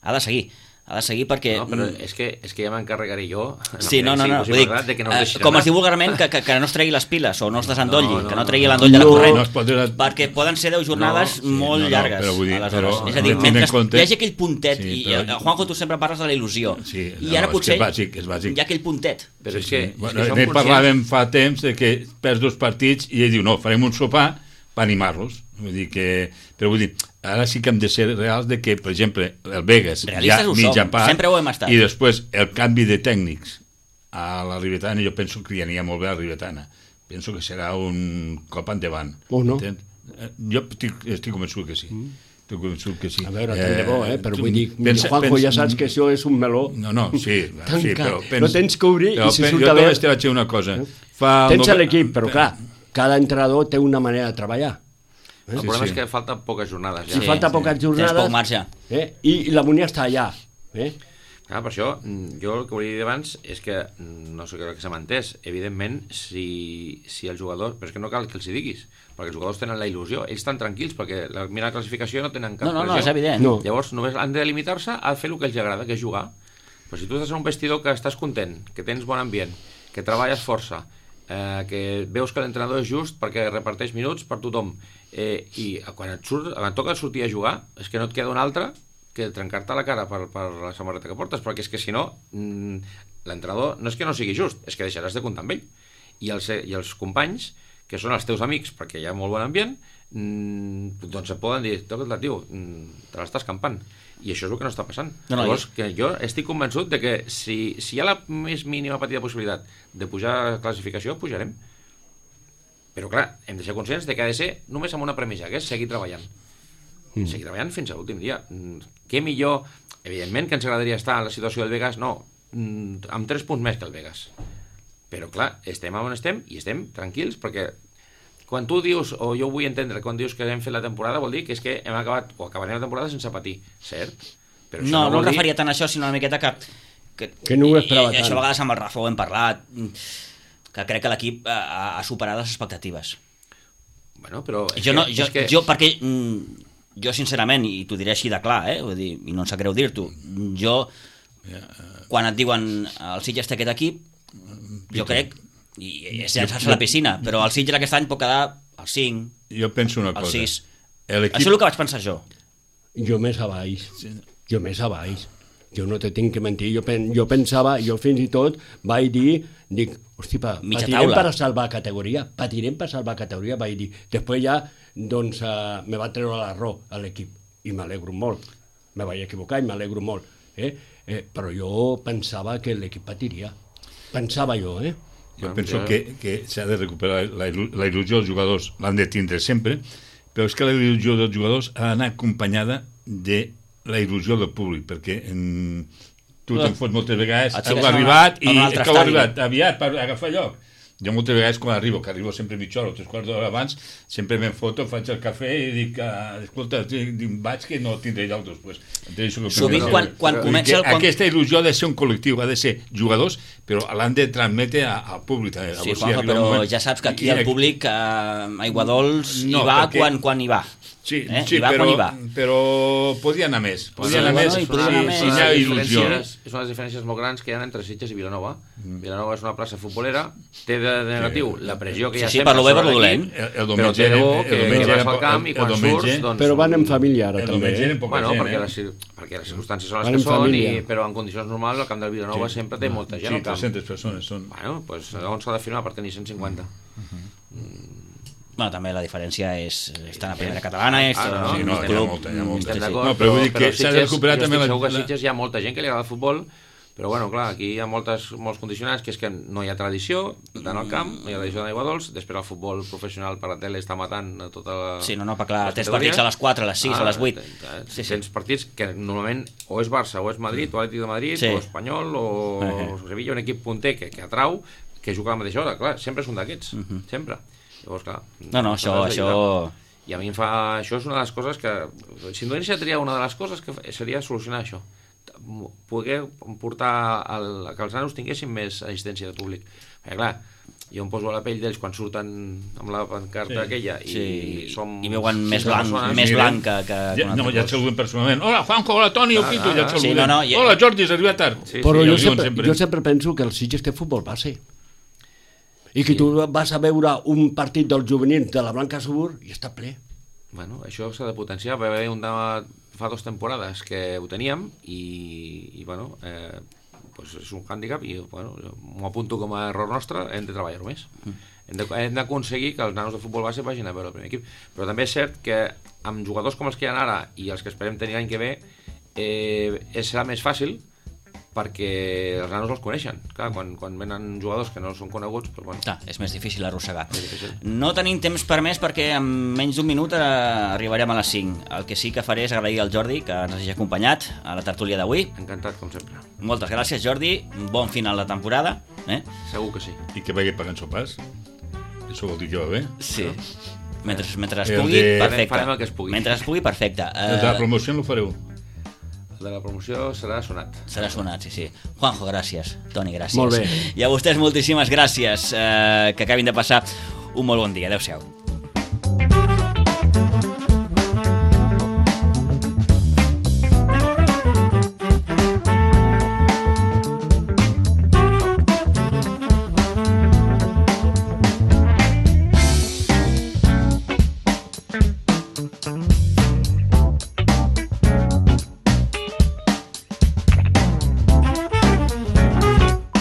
ha de seguir. Ha de seguir perquè... No, però és que, és que ja m'encarregaré jo... Sí, no, no, no. Si Vull dir, de que no eh, es com anar. es diu vulgarment, que, que, que no es tregui les piles o no es desendolli, No, no, que no no, tregui no. l'endoll de la No, corrent, no es pot dir- perquè poden ser deu jornades Sí, molt no, no, llargues. però vull dir, aleshores. però és a dir, tenint mentre en compte- hi hagi aquell puntet, Sí, i, però- i Juanjo, tu sempre parles de la il·lusió, Sí, i no, ara és que potser és bàsic, és bàsic. hi ha aquell puntet. Però és Sí, que, sí. és Bueno, que som ne conscients... parlàvem fa temps de que perds dos partits i ell diu, no, farem un sopar per animar-los. Vull dir que... Però vull dir, ara sí que hem de ser reals de que, per exemple, el Vegas Realistes ja ho mitja som, part, sempre ho hem estat. i després el canvi de tècnics a la Ribetana, jo penso que li aniria molt bé a la Ribetana. Penso que serà un cop endavant. O no. Entens? Eh, Jo estic, estic convençut que sí. Estic convençut que sí. A veure, tant de bo, eh? Però tu vull dir, pensa- Juanjo, pensa- ja saps que això és un meló. No, no, sí, Tanca. sí però... No tens que obrir però i si pen- surt jo a veure- només te vaig dir una cosa. Fa el Tens nove- l'equip, però clar, cada entrenador té una manera de treballar. El Sí, problema sí. és que falten poques jornades. Si Ja. falta poques jornades... Tens poc marge. Eh? I, I la Monia està allà. Eh? Clar, per això, mm, jo el que volia dir abans és que, mm, no sé què que se m'ha entès, evidentment, si, si el jugador... Però és que no cal que els hi diguis, perquè els jugadors tenen la il·lusió, ells estan tranquils, perquè la, mira la classificació no tenen cap No, no, no, pressió. és evident. No. Llavors, només han de limitar-se a fer el que els agrada, que és jugar. Però si tu estàs en un vestidor que estàs content, que tens bon ambient, que treballes força, eh, que veus que l'entrenador és just perquè reparteix minuts per tothom, eh, i quan et, surt, quan et toca sortir a jugar, és que no et queda un altre que trencar-te la cara per, per la samarreta que portes, perquè és que si no, mm, l'entrenador no és que no sigui just, és que deixaràs de comptar amb ell. I els, I els companys, que són els teus amics, perquè hi ha molt bon ambient, mm, doncs et poden dir, toca't-la, tio, mm, te l'estàs campant. I això és el que no està passant. No, no, Llavors, que jo estic convençut de que si, si hi ha la més mínima petita possibilitat de pujar a classificació, pujarem. Però clar, hem de ser conscients de que ha de ser només amb una premissa, que és seguir treballant. Mm. Seguir treballant fins a l'últim dia. Mm, què millor... Evidentment que ens agradaria estar en la situació del Vegas, no, mm, amb tres punts més que el Vegas. Però clar, estem on estem i estem tranquils, perquè quan tu dius, o jo vull entendre, quan dius que hem fet la temporada, vol dir que és que hem acabat, o acabarem la temporada sense patir, cert? Però això No, no, vol em dir- referia tant a això, sinó una miqueta que... Que, Que no ho esperava i, i, tant. això a vegades amb el Rafa ho hem parlat, que crec que l'equip ha, ha superat les expectatives. Bueno, però... és Jo no, que- jo, és que... jo perquè mm, jo sincerament, i t'ho diré així de clar, eh, vull dir, i no em sap greu dir-t'ho, jo, quan et diuen el Sitges té aquest equip, jo crec, i és llançar-se a la piscina, però el Sitges aquest any pot quedar al cinc, Jo penso una al cosa. sis. L'equip... Això és el que vaig pensar jo. Jo més a baix. Jo més a baix. Jo no te tinc que mentir. Jo, pen, jo pensava, jo fins i tot vaig dir, dic, hosti, pa, Mitja patirem taula. per a salvar categoria, patirem per a salvar categoria, vaig dir. Després ja, doncs, uh, me va treure l'arró a l'equip, i m'alegro molt. Me vaig equivocar i m'alegro molt. Eh? Eh, però jo pensava que l'equip patiria. Pensava jo, eh? Jo penso que, que s'ha de recuperar la, il·lu- la il·lusió dels jugadors, l'han de tindre sempre, però és que la il·lusió dels jugadors ha d'anar acompanyada de la il·lusió del públic, perquè en, tu te'n fots moltes vegades, Et fiques heu a una- arribat a i un altre que heu estadi. arribat aviat per agafar lloc. Jo moltes vegades quan arribo, que arribo sempre mitja hora o tres quarts d'hora abans, sempre me'n foto, faig el cafè i dic, ah, escolta, dic, vaig que no tindré lloc després. Sovint quan, quan comença el... Quan... Aquesta il·lusió ha de ser un col·lectiu, ha de ser jugadors, però l'han de transmetre a- al públic. també. Sí, Llavors, si Juanjo, arriba un però moment- ja saps que aquí I- el públic a Aiguadols hi No, va perquè- quan, quan hi va. Sí, eh? sí I va però, quan hi va. però podia anar més. Podia Sí, anar bueno, més. hi podia anar més. Si hi ha il·lusió. És una de les diferències molt grans que hi ha entre Sitges i Vilanova. Mm. Vilanova és una plaça futbolera, té de negatiu sí. la pressió que hi ha sí, sí, sempre per lo bé, per sobre lo dolent. l'equip, El, el però té de bo que, el que vas al camp i quan surts... Doncs, però van en família ara el també. diumenge eren poca bueno, gent, perquè, eh? les, perquè les circumstàncies són les Van que en són, família. i, però en condicions normals el camp del Vilanova Sí. sempre té molta gent Sí, al camp. tres-centes persones són. Bueno, doncs on s'ha de filmar per tenir cent cinquanta? Bueno, també la diferència és estar a primera catalana, és Ah, no, Sí, no, hi ha molta, hi ha molta. Estem Sí, sí. d'acord, No, però vull dir que s'ha de Sitges- recuperar jo també estic la- segur que a la- Sitges hi ha molta gent que li agrada el futbol, però bueno, clar, aquí hi ha moltes, molts condicionants, que és que no hi ha tradició d'anar al camp, no hi ha tradició d'aigua dolç, després el futbol professional per la tele està matant a tota la... Sí, no, no, però clar, les tens categories. partits a les quatre, a les sis, Ah, a les vuit. Sí, sí. Tens partits que normalment o és Barça, o és Madrid, o Atlètic de Madrid, Sí. o Espanyol, o Uh-huh. Sevilla, un equip punter que, que atrau, que juga a la mateixa hora, clar, sempre és un d'aquests, Uh-huh. sempre. Llavors, clar... No, no, això... s'ha això... d'ajudar. I a mi em fa... Això és una de les coses que... Si em donessin a triar una de les coses que fa- seria solucionar això. Poder portar el, que els nanos tinguessin més assistència de públic. Perquè, clar, jo em poso a la pell d'ells quan surten amb la pancarta Sí. aquella i Sí, som... i veuen més sis blanc, persones. més Miren. blanc que, que, que Ja, un no, altre ja et cos. saluden personalment. Hola, Juanjo, hola, Toni, Ah, Oquito, ah, ja et ah. saluden. Sí, no, no, ja- Hola, Jordi, has arribat tard. Sí, Però ja jo ho diuen sempre, jo sempre penso que el Sitges té futbol base. I que Sí. tu vas a veure un partit dels juvenils de la Blanca Subur i està ple. Bueno, això s'ha de potenciar. Va haver un tema fa dues temporades que ho teníem i, i bueno, eh, pues és un hàndicap i bueno, m'ho apunto com a error nostre, hem de treballar-ho més. Mm. Hem de- hem d'aconseguir que els nanos de futbol base vagin a veure el primer equip. Però també és cert que amb jugadors com els que hi ha ara i els que esperem tenir l'any que ve, eh, serà més fàcil perquè els nanos els coneixen. Clar, quan, quan venen jugadors que no són coneguts, doncs, bueno, Clar, és més difícil arrossegar. és difícil. No tenim temps per més perquè en menys d'un minut eh, arribarem a les cinc. El que sí que faré és agrair al Jordi que ens hagi acompanyat a la tertúlia d'avui. Encantat, com sempre. Moltes gràcies, Jordi. Bon final de temporada. Eh? Segur que sí. I que vagi pagant sopars. Això vol dir que va bé. Sí. Mentre, mentre es El pugui, de- perfecte. Farem el que es pugui. Mentre es pugui, perfecte. El de la Eh, promoció no ho fareu. El de la promoció serà sonat. serà sonat, sí, sí. Juanjo, gràcies. Toni, gràcies. Molt bé. I a vostès moltíssimes gràcies. Eh, que acabin de passar un molt bon dia. Adéu-siau.